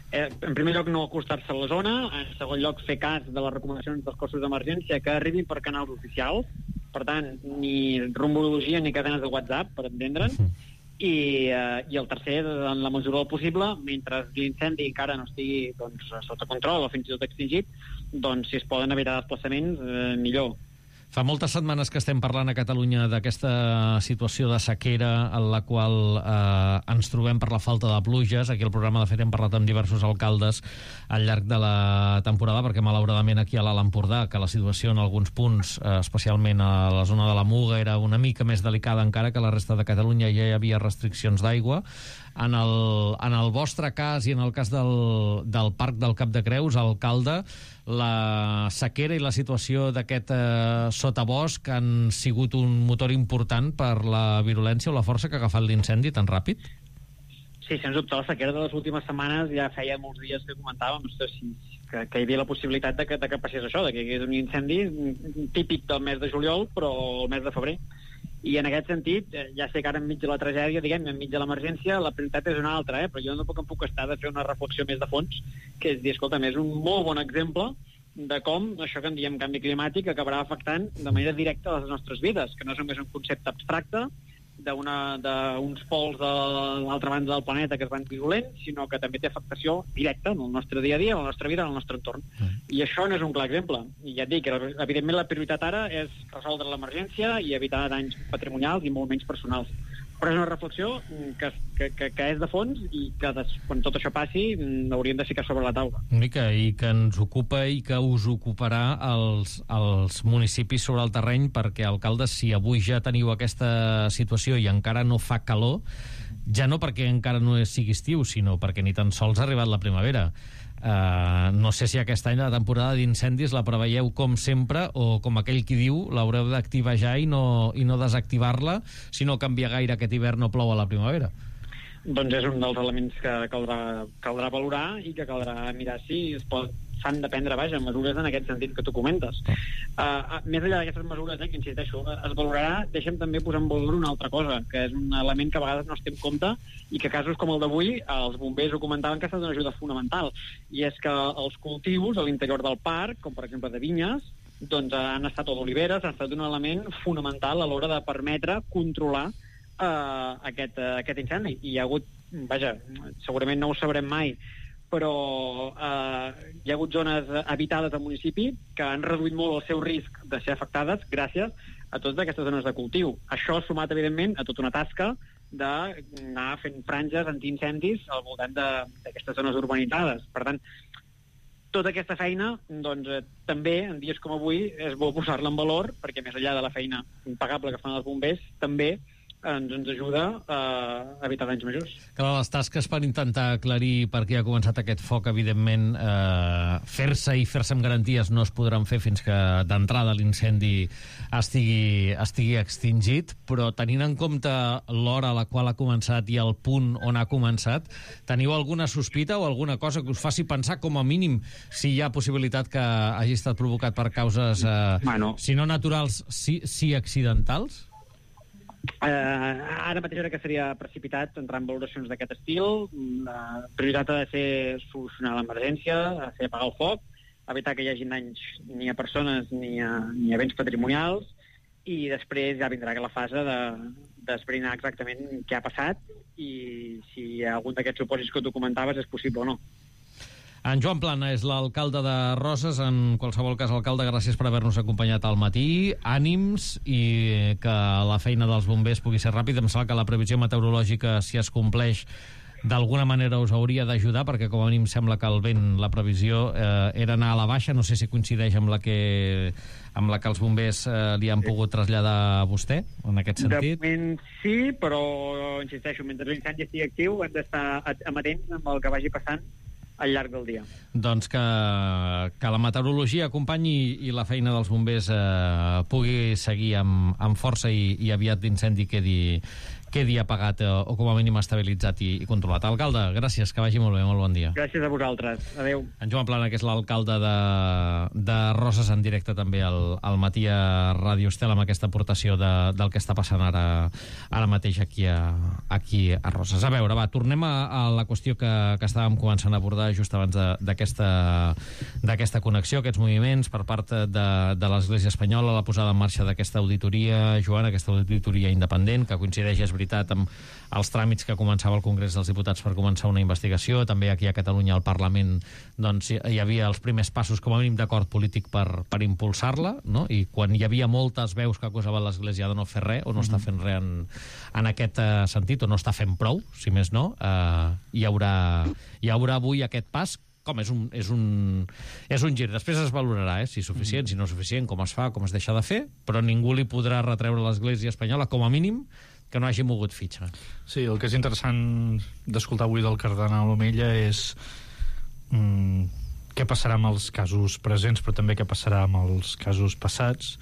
En primer lloc, no acostar-se a la zona. En segon lloc, fer cas de les recomanacions dels cossos d'emergència que arribin per canals oficials. Per tant, ni rumorologia ni cadenes de WhatsApp, per entendre'n. I el tercer, en la mesura del possible, mentre l'incendi encara no estigui sota control o fins i tot extingit, doncs si es poden evitar desplaçaments, millor.
Fa moltes setmanes que estem parlant a Catalunya d'aquesta situació de sequera en la qual ens trobem per la falta de pluges. Aquí al programa, de fet, hem parlat amb diversos alcaldes al llarg de la temporada, perquè malauradament aquí a l'Alt Empordà, que la situació en alguns punts, especialment a la zona de la Muga, era una mica més delicada encara que la resta de Catalunya, ja hi havia restriccions d'aigua. En el vostre cas i en el cas del Parc del Cap de Creus, alcalde, la sequera i la situació d'aquest sotabosc han sigut un motor important per la virulència o la força que ha agafat l'incendi tan ràpid?
Sí, sens dubte, la sequera de les últimes setmanes ja feia molts dies que comentàvem que hi havia la possibilitat de que passés això, de que hi hagués un incendi típic del mes de juliol, però el mes de febrer. I en aquest sentit, ja sé que ara enmig de la tragèdia, enmig de l'emergència, la prioritat és una altra, però jo no em puc estar de fer una reflexió més de fons, que és dir, escolta'm, és un molt bon exemple de com això que en diem canvi climàtic acabarà afectant de manera directa les nostres vides, que no és només un concepte abstracte d'uns pols de l'altra banda del planeta que es van virulents, sinó que també té afectació directa en el nostre dia a dia, en la nostra vida, en el nostre entorn. I això no és un clar exemple. I ja et dic, evidentment la prioritat ara és resoldre l'emergència i evitar danys patrimonials i molt menys personals. Però és una reflexió que és de fons i que quan tot això passi hauríem de ficar sobre la taula.
I que ens ocupa i que us ocuparà els municipis sobre el terreny, perquè, alcaldes, si avui ja teniu aquesta situació i encara no fa calor, ja no perquè encara no sigui estiu, sinó perquè ni tan sols ha arribat la primavera. No sé si aquest any la temporada d'incendis la preveieu com sempre, o com aquell qui diu, l'haureu d'activar ja i no desactivar-la si no canvia gaire aquest hivern o plou a la primavera.
Doncs és un dels elements que caldrà valorar i que caldrà mirar si s'han de prendre, mesures en aquest sentit que tu comentes. Més enllà d'aquestes mesures, que insisteixo, es valorarà, deixem també posar en valor una altra cosa, que és un element que a vegades no es té en compte i que casos com el d'avui, els bombers ho comentaven que ha estat una ajuda fonamental, i és que els cultius a l'interior del parc, com per exemple de vinyes, doncs han estat, o d'oliveres, han estat un element fonamental a l'hora de permetre controlar aquest incendi. I hi ha hagut, segurament no ho sabrem mai, però hi ha hagut zones habitades al municipi que han reduït molt el seu risc de ser afectades gràcies a totes aquestes zones de cultiu. Això sumat, evidentment, a tota una tasca d'anar fent franges antiincendis al voltant d'aquestes zones urbanitzades. Per tant, tota aquesta feina, doncs, també, en dies com avui, és bo posar-la en valor, perquè més enllà de la feina impagable que fan els bombers, també ens ajuda a evitar danys majors.
Clar, les tasques per intentar aclarir per què ha començat aquest foc, evidentment, fer-se amb garanties no es podran fer fins que d'entrada l'incendi estigui extingit, però tenint en compte l'hora a la qual ha començat i el punt on ha començat, teniu alguna sospita o alguna cosa que us faci pensar, com a mínim, si hi ha possibilitat que hagi estat provocat per causes, si no naturals, sí accidentals?
Ara mateix crec que seria precipitat entrar en valoracions d'aquest estil. La prioritat ha de ser solucionar l'emergència, ha de ser apagar el foc, evitar que hi hagi danys ni a persones ni a béns patrimonials, i després ja vindrà la fase d'esbrinar exactament què ha passat i si algun d'aquests supòsits que tu comentaves és possible o no.
En Joan Plana és l'alcalde de Roses. En qualsevol cas, alcalde, gràcies per haver-nos acompanyat al matí. Ànims, i que la feina dels bombers pugui ser ràpida. Em sembla que la previsió meteorològica, si es compleix, d'alguna manera us hauria d'ajudar, perquè com a mínim sembla que el vent, la previsió, era anar a la baixa. No sé si coincideix amb la que els bombers li han pogut traslladar a vostè, en aquest sentit.
De moment sí, però insisteixo, mentre l'incendi estigui actiu hem d'estar amatents amb el que vagi passant al llarg del dia.
Doncs que la meteorologia acompanyi i la feina dels bombers pugui seguir amb força i aviat l'incendi quedi apagat o com a mínim estabilitzat i controlat. Alcalde, gràcies, que vagi molt bé, molt bon dia.
Gràcies a vosaltres, adeu.
En Joan Plana, que és l'alcalde de Roses, en directe també al matí a Ràdio Estel, amb aquesta aportació del que està passant ara mateix aquí a Roses. A veure, va, tornem a la qüestió que estàvem començant a abordar just abans d'aquesta connexió, aquests moviments per part de l'Església Espanyola, la posada en marxa d'aquesta auditoria, Joan, aquesta auditoria independent, que coincideix, és veritat, amb els tràmits que començava el Congrés dels Diputats per començar una investigació. També aquí a Catalunya, al Parlament, doncs, hi havia els primers passos, com a mínim, d'acord polític per impulsar-la, no? I quan hi havia moltes veus que acusaven l'Església de no fer res, o no està fent res en aquest sentit, o no està fent prou, si més no, hi haurà avui aquest pas. Com és un gir. Després es valorarà, si és suficient, si no és suficient, com es fa, com es deixa de fer, però ningú li podrà retreure a l'Església Espanyola, com a mínim, que no hagi mogut fitxa.
Sí, el que és interessant d'escoltar avui del cardenal Omella és què passarà amb els casos presents, però també què passarà amb els casos passats,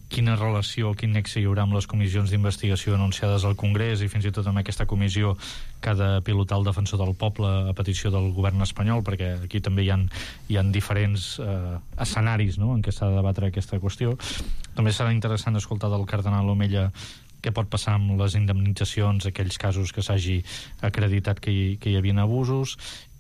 quina relació, quin nexe hi haurà amb les comissions d'investigació anunciades al Congrés i fins i tot amb aquesta comissió que ha de pilotar el defensor del poble a petició del govern espanyol, perquè aquí també hi ha diferents escenaris, no?, en què s'ha de debatre aquesta qüestió. També serà interessant escoltar del cardenal Omella què pot passar amb les indemnitzacions, aquells casos que s'hagi acreditat que hi havia abusos,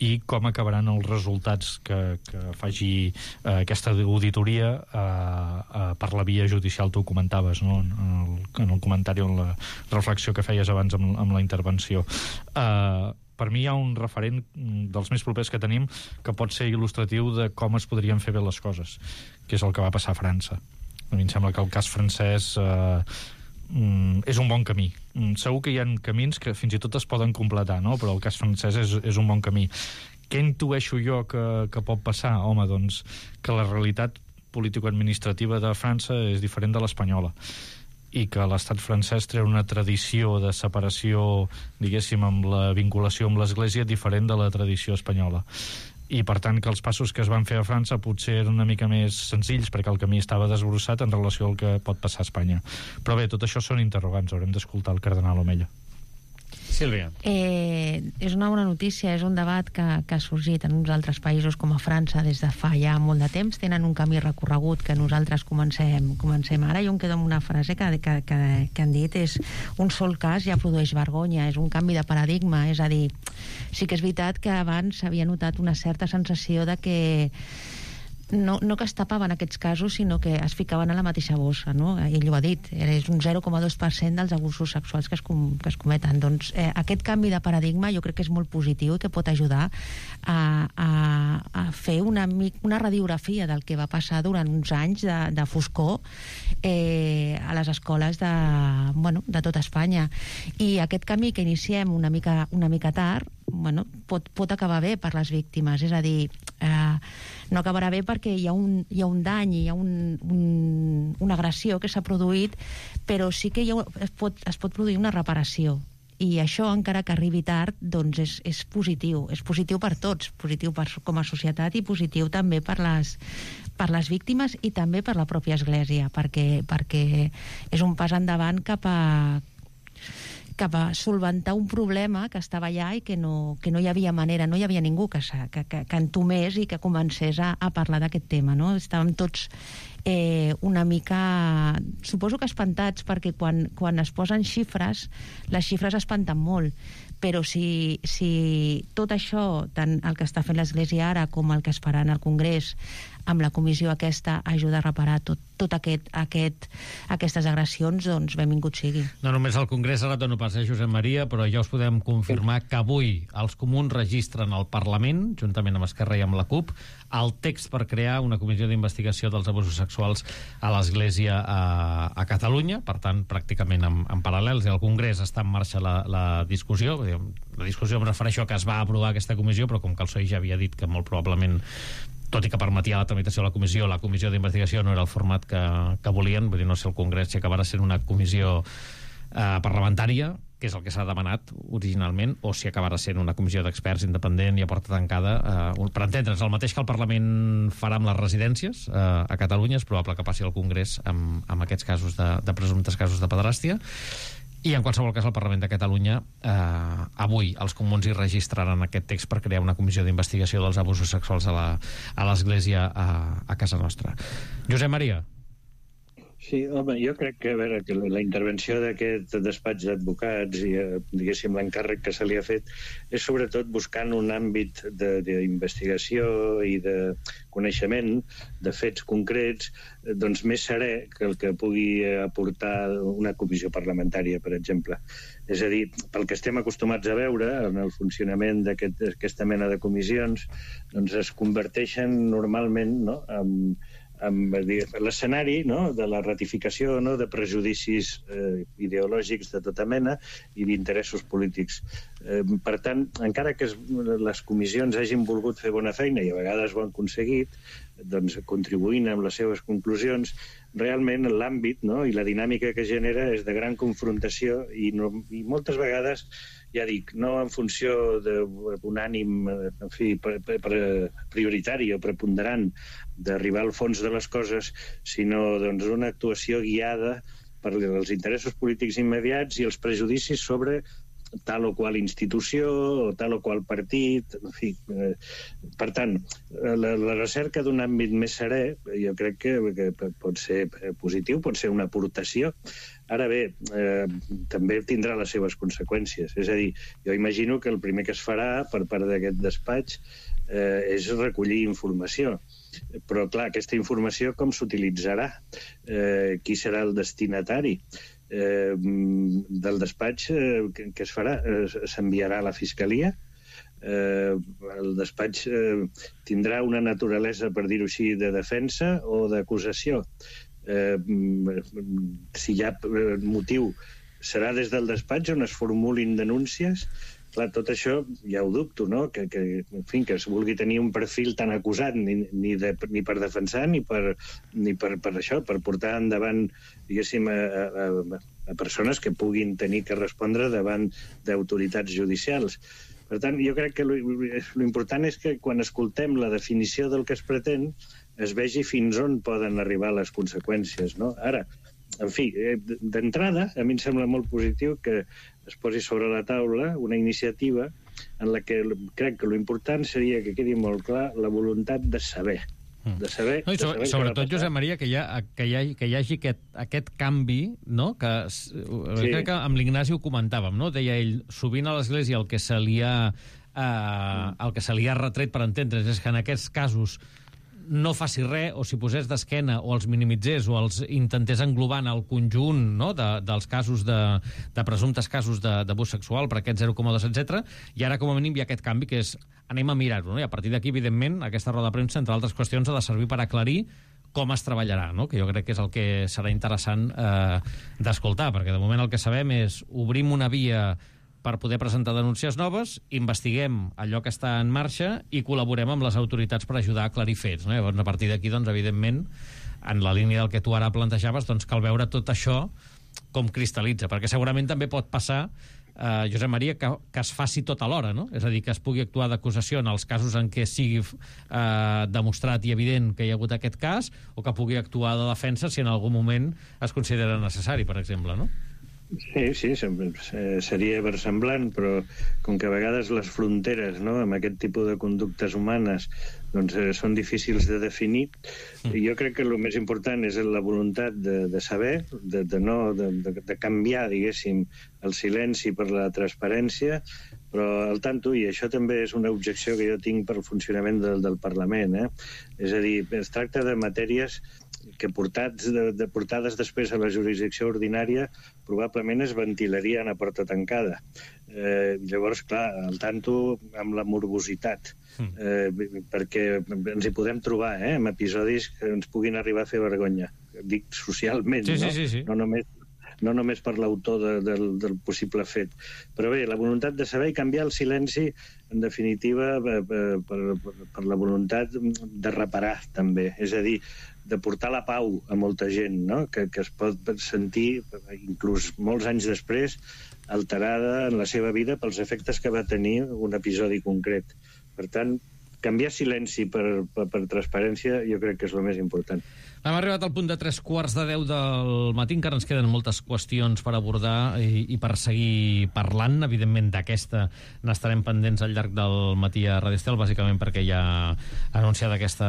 i com acabaran els resultats que faci aquesta auditoria per la via judicial. Tu ho comentaves, no?, en el comentari, en la reflexió que feies abans amb la intervenció. Per mi hi ha un referent dels més propers que tenim que pot ser il·lustratiu de com es podrien fer bé les coses, que és el que va passar a França. A mi em sembla que el cas francès és un bon camí. Segur que hi ha camins que fins i tot es poden completar, no? Però el cas francès és un bon camí. Què intueixo jo que pot passar? Home, doncs, que la realitat político-administrativa de França és diferent de l'espanyola i que l'estat francès treu una tradició de separació, diguéssim, amb la vinculació amb l'Església diferent de la tradició espanyola. I, per tant, que els passos que es van fer a França potser eren una mica més senzills perquè el camí estava desbrossat en relació al que pot passar a Espanya. Però bé, tot això són interrogants, haurem d'escoltar el cardenal Omeya.
Sílvia.
És una bona notícia, és un debat que ha sorgit en uns altres països com a França des de fa ja molt de temps, tenen un camí recorregut que nosaltres comencem ara. Jo em quedo amb una frase que han dit, és un sol cas ja produeix vergonya, és un canvi de paradigma, és a dir, sí que és veritat que abans s'havia notat una certa sensació de que no que es tapaven aquests casos, sinó que es ficaven a la mateixa bossa, no? Ell ho ha dit, és un 0,2% dels abusos sexuals que es cometen. Doncs aquest canvi de paradigma jo crec que és molt positiu i que pot ajudar a fer una radiografia del que va passar durant uns anys de foscor a les escoles de tota Espanya. I aquest camí que iniciem una mica tard, pot acabar bé per les víctimes, és a dir, no acabarà bé perquè hi ha un dany, hi ha una agressió que s'ha produït, però sí que es pot produir una reparació. I això, encara que arribi tard, doncs és positiu. És positiu per tots, positiu com a societat i positiu també per les víctimes i també per la pròpia Església, perquè és un pas endavant cap a solventar un problema que estava allà i que no hi havia manera, no hi havia ningú que entomés i que comencés a parlar d'aquest tema, no? Estàvem tots una mica, suposo que espantats, perquè quan es posen xifres, les xifres espanten molt, però si tot això, tant el que està fent l'Església ara com el que es farà en el Congrés, amb la comissió aquesta, ajuda a reparar tot aquestes agressions, doncs benvingut sigui.
No només al Congrés, ara et dono pas a Josep Maria, però ja us podem confirmar que avui els comuns registren al Parlament, juntament amb Esquerra i amb la CUP, el text per crear una comissió d'investigació dels abusos sexuals a l'Església a Catalunya, per tant, pràcticament en paral·lels, i al Congrés està en marxa la discussió. La discussió em refereixo a que es va aprovar aquesta comissió, però com que el PSOE ja havia dit que molt probablement, tot i que permetia la tramitació de la comissió d'investigació no era el format que volien, vull dir, no sé el Congrés si acabarà sent una comissió parlamentària, que és el que s'ha demanat originalment, o si acabarà sent una comissió d'experts independent i a porta tancada. Per entendre's, el mateix que el Parlament farà amb les residències a Catalunya, és probable que passi al Congrés amb aquests casos de presumptes casos de pederàstia. I en qualsevol cas el Parlament de Catalunya avui els comuns hi registraran aquest text per crear una comissió d'investigació dels abusos sexuals a l'Església a casa nostra. Josep Maria.
Sí, home, jo crec que, a veure, que la intervenció d'aquest despatx d'advocats i, diguéssim, l'encàrrec que se li ha fet és sobretot buscant un àmbit d'investigació i de coneixement de fets concrets doncs més serè que el que pugui aportar una comissió parlamentària, per exemple. És a dir, pel que estem acostumats a veure en el funcionament d'aquesta mena de comissions, doncs es converteixen normalment, no?, amb l'escenari, no?, de la ratificació, no?, de prejudicis ideològics de tota mena i d'interessos polítics. Per tant, encara que les comissions hagin volgut fer bona feina i a vegades ho han aconseguit, doncs contribuint amb les seves conclusions, realment l'àmbit, no?, i la dinàmica que genera és de gran confrontació i moltes vegades, ja dic, no en funció d'un ànim, en fi, prioritari o preponderant d'arribar al fons de les coses, sinó doncs una actuació guiada per els interessos polítics immediats i els prejudicis sobre tal o qual institució o tal o qual partit, en fi. Per tant, la recerca d'un àmbit més serè jo crec que pot ser positiu, pot ser una aportació. Ara bé, també tindrà les seves conseqüències. És a dir, jo imagino que el primer que es farà per part d'aquest despatx és recollir informació. Però, clar, aquesta informació com s'utilitzarà? Qui serà el destinatari? Del despatx que es farà? S'enviarà a la Fiscalia? El despatx tindrà una naturalesa, per dir-ho així, de defensa o d'acusació? si hi ha motiu, serà des del despatx on es formulin denúncies. Clar, tot això ja ho dubto, no? Que es vulgui tenir un perfil tan acusat ni per defensar ni per això, per portar endavant, diguéssim, a persones que puguin tenir que respondre davant d'autoritats judicials. Per tant, jo crec que l'important és que quan escoltem la definició del que es pretén es vegi fins on poden arribar les conseqüències, no? Ara, en fi, d'entrada, a mi em sembla molt positiu que es posi sobre la taula una iniciativa en la que crec que l'important seria que quedi molt clar la voluntat de saber.
Sobretot, Josep Maria, que hi hagi aquest canvi, no? Crec que amb l'Ignasi ho comentàvem, no? Deia ell, sovint a l'Església el que se li ha retret, per entendre's, és que en aquests casos no faci res, o si posés d'esquena, o els minimitzés, o els intentés englobar en el conjunt, no?, dels casos de presumptes casos d'abús sexual per aquests 0,2, etc. I ara, com a mínim, hi ha aquest canvi, que és anem a mirar-ho, no? I a partir d'aquí, evidentment, aquesta roda de premsa, entre altres qüestions, ha de servir per aclarir com es treballarà, no? Que jo crec que és el que serà interessant d'escoltar, perquè de moment el que sabem és obrim una via per poder presentar denúncies noves, investiguem allò que està en marxa i col·laborem amb les autoritats per ajudar a aclarir fets, no? Llavors, a partir d'aquí, doncs, evidentment, en la línia del que tu ara plantejaves, doncs cal veure tot això com cristal·litza, perquè segurament també pot passar, Josep Maria, que es faci tot alhora, no? És a dir, que es pugui actuar d'acusació en els casos en què sigui demostrat i evident que hi ha hagut aquest cas, o que pugui actuar de defensa si en algun moment es considera necessari, per exemple, no?
Sí, seria versemblant, però com que a vegades les fronteres, no?, amb aquest tipus de conductes humanes doncs són difícils de definir, jo crec que el més important és la voluntat de saber, de canviar, diguéssim, el silenci per la transparència, però al tanto, i això també és una objecció que jo tinc pel funcionament del Parlament, és a dir, es tracta de matèries que portades després a la jurisdicció ordinària probablement es ventilarien a porta tancada. Llavors, clar, al tanto amb la morbositat, perquè ens hi podem trobar amb episodis que ens puguin arribar a fer vergonya. Dic socialment,
sí.
No només per l'autor del possible fet. Però bé, la voluntat de saber i canviar el silenci, en definitiva, per la voluntat de reparar, també. És a dir, de portar la pau a molta gent, no?, que es pot sentir, inclús molts anys després, alterada en la seva vida pels efectes que va tenir un episodi concret. Per tant, canviar silenci per transparència jo crec que és el més important.
Hem arribat al punt de 9:45 del matí, encara ens queden moltes qüestions per abordar i per seguir parlant. Evidentment, d'aquesta n'estarem pendents al llarg del matí a Radio Estel, bàsicament perquè ja ha anunciat aquesta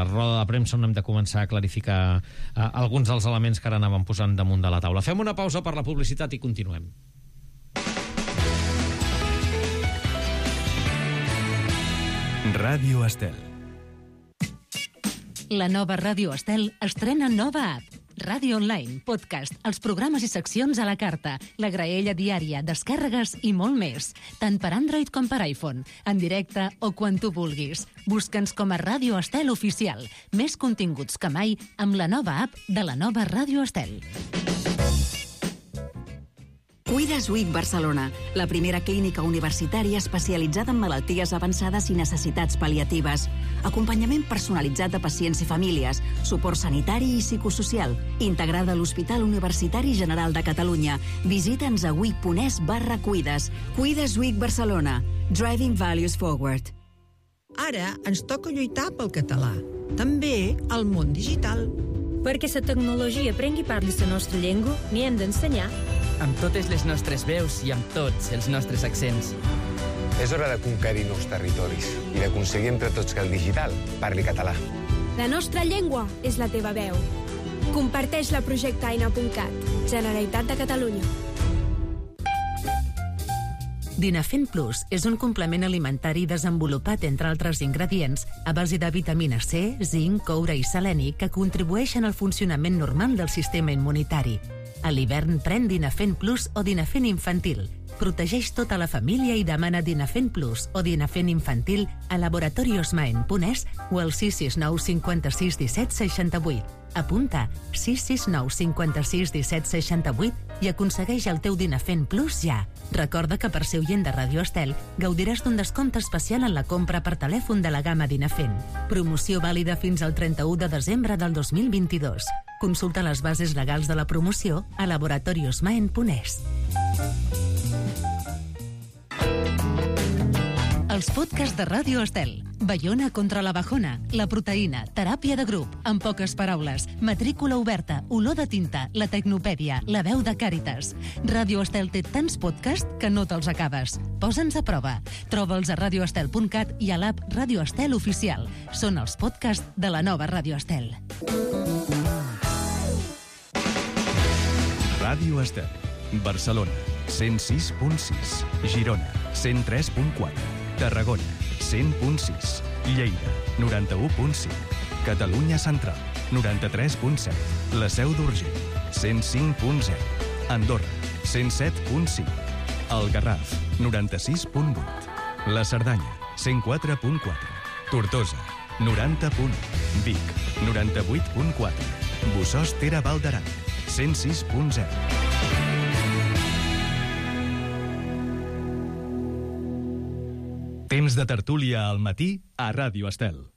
roda de premsa on hem de començar a clarificar alguns dels elements que ara anàvem posant damunt de la taula. Fem una pausa per la publicitat i continuem.
Ràdio Estel.
La nova Ràdio Estel estrena nova app. Ràdio Online, podcast, els programes i seccions a la carta, la graella diària, descàrregues i molt més. Tant per Android com per iPhone, en directe o quan tu vulguis. Busca'ns com a Ràdio Estel Oficial. Més continguts que mai amb la nova app de la nova Ràdio Estel.
Cuides Week Barcelona, la primera clínica universitària especialitzada en malalties avançades i necessitats pal·liatives. Acompanyament personalitzat de pacients i famílies, suport sanitari i psicosocial, integrada a l'Hospital Universitari General de Catalunya. Visita'ns a week.es/cuides. Cuides Week Barcelona. Driving Values Forward.
Ara ens toca lluitar pel català. També al món digital.
Perquè la tecnologia prengui part de la nostra llengua, n'hi hem d'ensenyar.
Amb totes les nostres veus i amb tots els nostres accents.
És hora de conquerir nous territoris i d'aconseguir entre tots que el digital parli català.
La nostra llengua és la teva veu. Comparteix-la a projectaina.cat. Generalitat de Catalunya.
Dinafen Plus és un complement alimentari desenvolupat, entre altres ingredients, a base de vitamina C, zinc, coure i seleni que contribueixen al funcionament normal del sistema immunitari. A l'hivern pren Dinafen Plus o Dinafen Infantil. Protegeix tota la família i demana Dinafen Plus o Dinafen Infantil a laboratoriosmaen.es o al 669 56 17 68. Apunta 669 56 17 68 i aconsegueix el teu Dinafen Plus ja. Recorda que per ser oient de Ràdio Estel gaudiràs d'un descompte especial en la compra per telèfon de la gamma Dinafen. Promoció vàlida fins al 31 de desembre del 2022. Consulta les bases legals de la promoció a laboratoriosmaen.es. Els podcasts de Ràdio Estel. Baiona contra la bajona, la proteïna, teràpia de grup, en poques paraules, matrícula oberta, olor de tinta, la tecnopèdia, la veu de Càritas. Ràdio Estel té tants podcasts que no te'ls acabes. Posa'ns a prova. Troba'ls a radioestel.cat i a l'app Ràdio Estel Oficial. Són els podcasts de la nova Ràdio Estel.
Ràdio Estel. Barcelona, 106.6. Girona, 103.4. Tarragona, 100.6. Lleida, 91.5. Catalunya Central, 93.7. La Seu d'Urgell, 105.0. Andorra, 107.5. El Garraf, 96.8. La Cerdanya, 104.4. Tortosa, 90.1. Vic, 98.4. Bossòst Tere Val d'Aran, 106.0. Temps de tertúlia al matí a Ràdio Estel.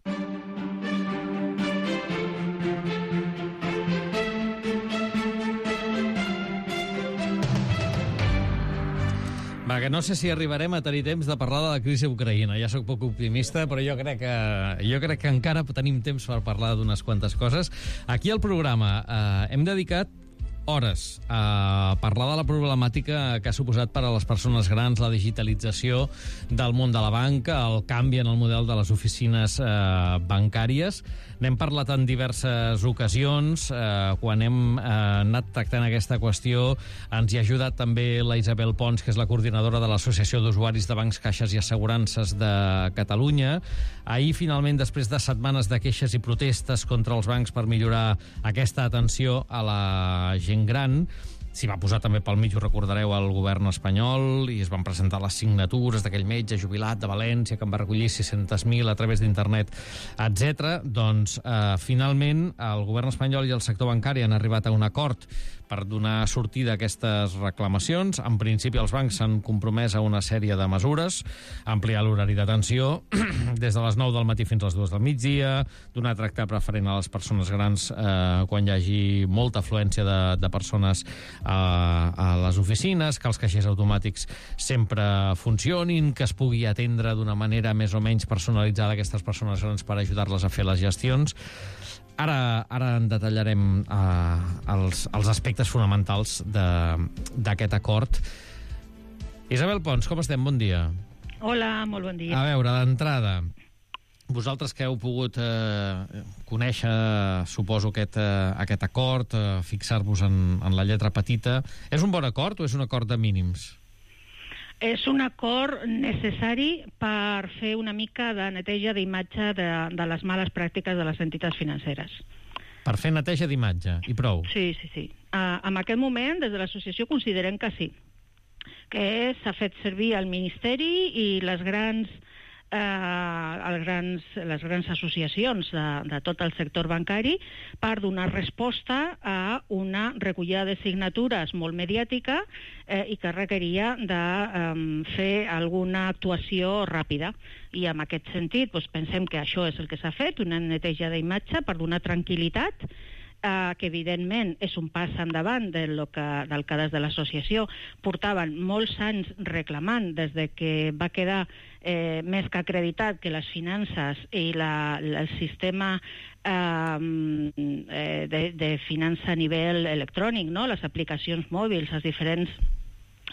Va, que no sé si arribarem a tenir temps de parlar de la crisi a Ucraïna. Ja sóc poc optimista, però jo crec que encara tenim temps per parlar d'unes quantes coses. Aquí al programa hem dedicat hores a parlar de la problemàtica que ha suposat per a les persones grans la digitalització del món de la banca, el canvi en el model de les oficines bancàries. N'hem parlat en diverses ocasions. Quan hem anat tractant aquesta qüestió ens hi ha ajudat també la Isabel Pons, que és la coordinadora de l'Associació d'Usuaris de Bancs, Caixes i Assegurances de Catalunya. Ahir, finalment, després de setmanes de queixes i protestes contra els bancs per millorar aquesta atenció a la gent gran, s'hi va posar també pel mig, ho recordareu, el govern espanyol, i es van presentar les signatures d'aquell metge jubilat de València que en va recollir 600.000 a través d'internet, etc. Doncs, finalment, el govern espanyol i el sector bancari han arribat a un acord per donar sortida a aquestes reclamacions. En principi, els bancs s'han compromès a una sèrie de mesures: ampliar l'horari d'atenció des de les 9 del matí fins a les 2 del migdia, donar tracte preferent a les persones grans quan hi hagi molta afluència de persones a les oficines, que els caixers automàtics sempre funcionin, que es pugui atendre d'una manera més o menys personalitzada a aquestes persones grans per ajudar-les a fer les gestions. Ara en detallarem els aspectes fonamentals d'aquest acord. Isabel Pons, com estem? Bon dia.
Hola, molt bon dia.
A veure, d'entrada, vosaltres que heu pogut conèixer, suposo, aquest acord, fixar-vos en la lletra petita, és un bon acord o és un acord de mínims?
És un acord necessari per fer una mica de neteja d'imatge de les males pràctiques de les entitats financeres.
Per fer neteja d'imatge, i prou?
Sí. En aquest moment, des de l'associació, considerem que sí, que s'ha fet servir el Ministeri i les grans associacions de tot el sector bancari per donar resposta a una recollida de signatures molt mediàtica i que requeria de fer alguna actuació ràpida. I en aquest sentit pensem que això és el que s'ha fet, una neteja d'imatge per donar tranquil·litat, que evidentment és un pas endavant del que des de l'associació portaven molts anys reclamant des de que va quedar més que acreditat que les finances i el sistema de finança a nivell electrònic, les aplicacions mòbils, les diferents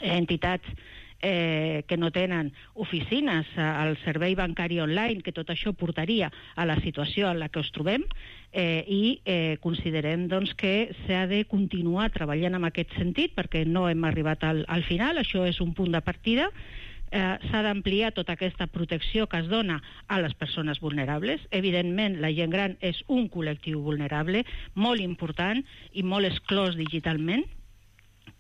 entitats que no tenen oficines, el servei bancari online, que tot això portaria a la situació en la que ens trobem, i considerem que s'ha de continuar treballant en aquest sentit perquè no hem arribat al final. Això és un punt de partida. S'ha d'ampliar tota aquesta protecció que es dona a les persones vulnerables. Evidentment, la gent gran és un col·lectiu vulnerable molt important i molt exclòs digitalment,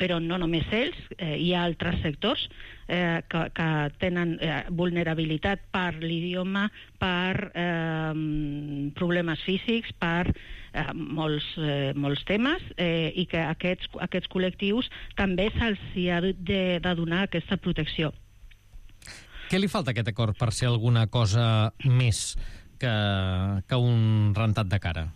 però no només ells, hi ha altres sectors que tenen vulnerabilitat per l'idioma, per problemes físics, per molts temes, i que aquests col·lectius també se'ls ha de donar aquesta protecció.
Què li falta a aquest acord per ser alguna cosa més que un rentat de cara?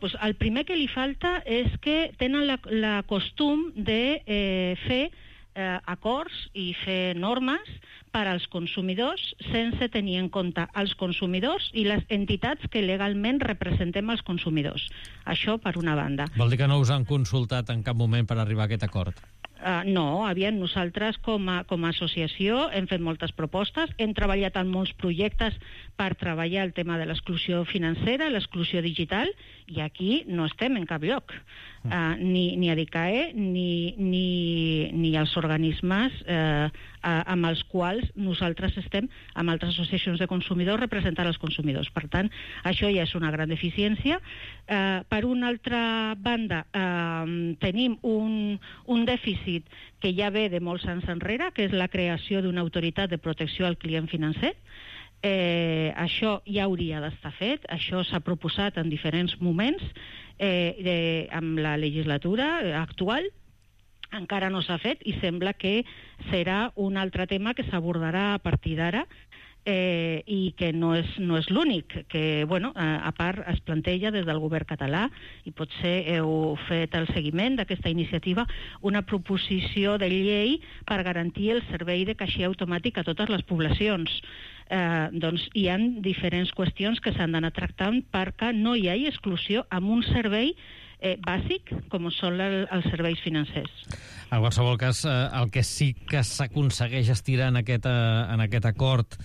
Pues el primer que li falta és que tenen la costum de fer acords i fer normes per als consumidors sense tenir en compte els consumidors i les entitats que legalment representem els consumidors. Això per una banda.
Vol dir que no us han consultat en cap moment per arribar a aquest acord?
No, nosaltres com a associació hem fet moltes propostes, hem treballat en molts projectes per treballar el tema de l'exclusió financera, l'exclusió digital, i aquí no estem en cap lloc. Ni ADICAE ni els organismes amb els quals nosaltres estem, amb altres associacions de consumidors, representant els consumidors. Per tant, això ja és una gran deficiència. Per una altra banda, tenim un dèficit que ja ve de molts anys enrere, que és la creació d'una autoritat de protecció al client financer. Això ja hauria d'estar fet, això s'ha proposat en diferents moments amb la legislatura actual, encara no s'ha fet i sembla que serà un altre tema que s'abordarà a partir d'ara, i que no és l'únic, que a part es planteja des del govern català, i potser heu fet el seguiment d'aquesta iniciativa, una proposició de llei per garantir el servei de caixer automàtic a totes les poblacions. Doncs hi ha diferents qüestions que s'han d'anar tractant perquè no hi hagi exclusió amb un servei bàsic com són els serveis financers.
En qualsevol cas, el que sí que s'aconsegueix estirar en aquest acord,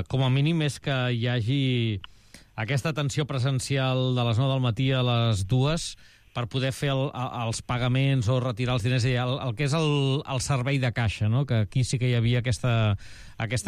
com a mínim, és que hi hagi aquesta atenció presencial de les 9 del matí a les 2 per poder fer els pagaments o retirar els diners, el que és el servei de caixa, no? Que aquí sí que hi havia aquesta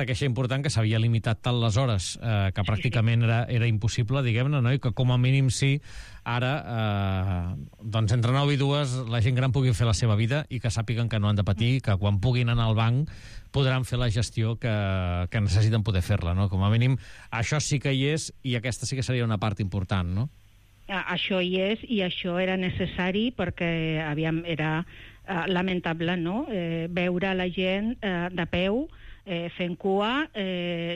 queixa important, que s'havia limitat tant les hores, que pràcticament era impossible, diguem-ne, no? I que com a mínim sí, ara, doncs entre 9 i 2 la gent gran pugui fer la seva vida i que sàpiguen que no han de patir, que quan puguin anar al banc podran fer la gestió que necessiten poder fer-la, no? Com a mínim, això sí que hi és, i aquesta sí que seria una part important, no?
Això hi és, i això era necessari perquè era lamentable, no? Veure la gent de peu fent cua,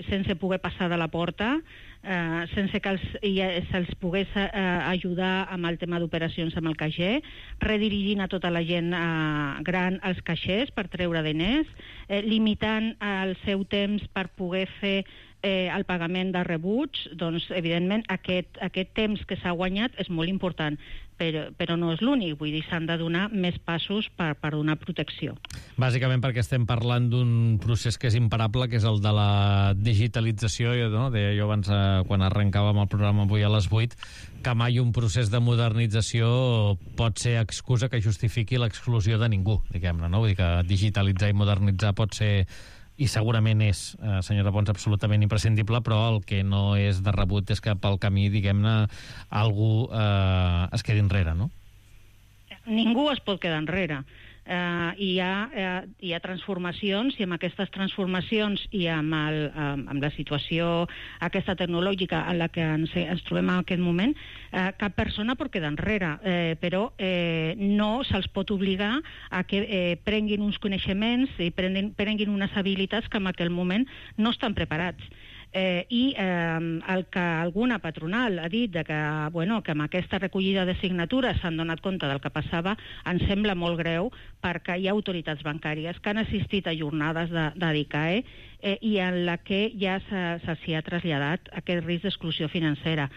sense poder passar de la porta, sense que se'ls pogués ajudar amb el tema d'operacions amb el caixer, redirigint a tota la gent gran als caixers per treure diners, limitant el seu temps per poder fer el pagament de rebuts. Doncs, evidentment, aquest temps que s'ha guanyat és molt important, però no és l'únic. Vull dir, s'han de donar més passos per donar protecció.
Bàsicament perquè estem parlant d'un procés que és imparable, que és el de la digitalització. Deia jo abans, quan arrencàvem el programa avui a les 8, que mai un procés de modernització pot ser excusa que justifiqui l'exclusió de ningú, diguem-ne, no? Vull dir que digitalitzar i modernitzar pot ser, i segurament és, senyora Pons, absolutament imprescindible, però el que no és de rebut és que pel camí, diguem-ne, algú es quedi enrere, no?
Ningú es pot quedar enrere. Hi ha transformacions, i amb aquestes transformacions i amb la situació aquesta tecnològica en la que ens trobem en aquest moment, cap persona pot quedar enrere, però no se'ls pot obligar a que prenguin uns coneixements i prenguin unes habilitats que en aquell moment no estan preparats. I el que alguna patronal ha dit que amb aquesta recollida de signatures s'han donat compte del que passava, ens sembla molt greu, perquè hi ha autoritats bancàries que han assistit a jornades d'ADICAE i en la que ja se'ls ha traslladat aquest risc d'exclusió financera.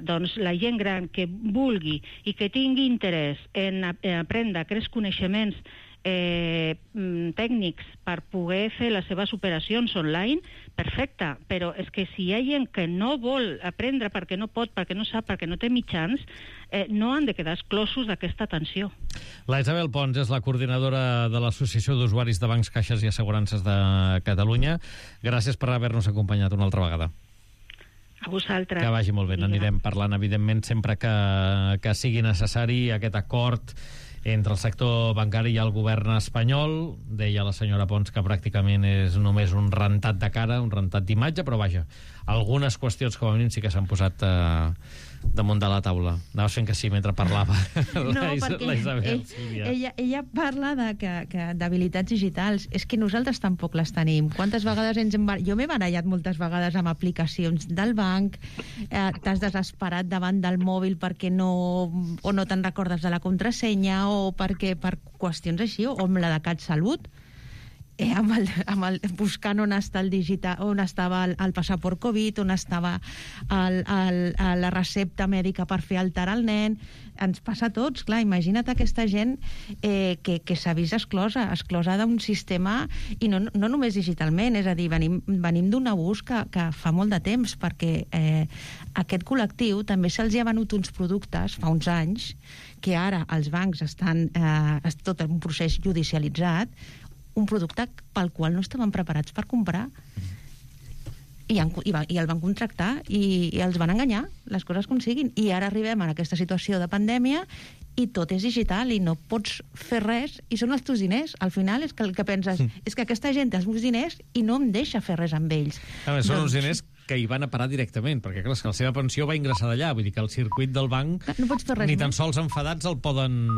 Doncs la gent gran que vulgui i que tingui interès en aprendre aquests coneixements tècnics per poder fer les seves operacions online, perfecte, però és que si hi ha gent que no vol aprendre perquè no pot, perquè no sap, perquè no té mitjans, no han de quedar exclosos d'aquesta atenció.
La Isabel Pons és la coordinadora de l'Associació d'Usuaris de Bancs, Caixes i Assegurances de Catalunya. Gràcies per haver-nos acompanyat una altra vegada.
A vosaltres.
Que vagi molt bé, n'anirem parlant, evidentment, sempre que sigui necessari aquest acord entre el sector bancari i el govern espanyol. Deia la senyora Pons que pràcticament és només un rentat de cara, un rentat d'imatge, però vaja, algunes qüestions com a mínim sí que s'han posat damunt de la taula. Anaves fent que sí mentre parlava la Isabel.
Ella parla d'habilitats digitals. És que nosaltres tampoc les tenim. Quantes vegades jo m'he barallat moltes vegades amb aplicacions del banc, t'has desesperat davant del mòbil perquè no te'n recordes de la contrasenya o per qüestions així, o amb la de CatSalut, buscant on està el digital, on estava el passaport Covid, on estava la recepta mèdica per fer altar al nen. Ens passa a tots, clar, imagina't aquesta gent que s'ha vist exclosa d'un sistema, i no només digitalment, és a dir, venim d'un abús que fa molt de temps, perquè aquest col·lectiu també se'ls ha venut uns productes fa uns anys, que ara els bancs estan tot un procés judicialitzat, un producte pel qual no estaven preparats per comprar, i el van contractar i els van enganyar, les coses com siguin, i ara arribem a aquesta situació de pandèmia i tot és digital i no pots fer res, i són els teus diners. Al final és que el que penses és que aquesta gent té els meus diners i no em deixa fer res amb ells.
Són uns diners que hi van a parar directament, perquè clar, que la seva pensió va ingressar d'allà, vull dir que el circuit del banc,
no pots fer res
ni tan sols enfadats el poden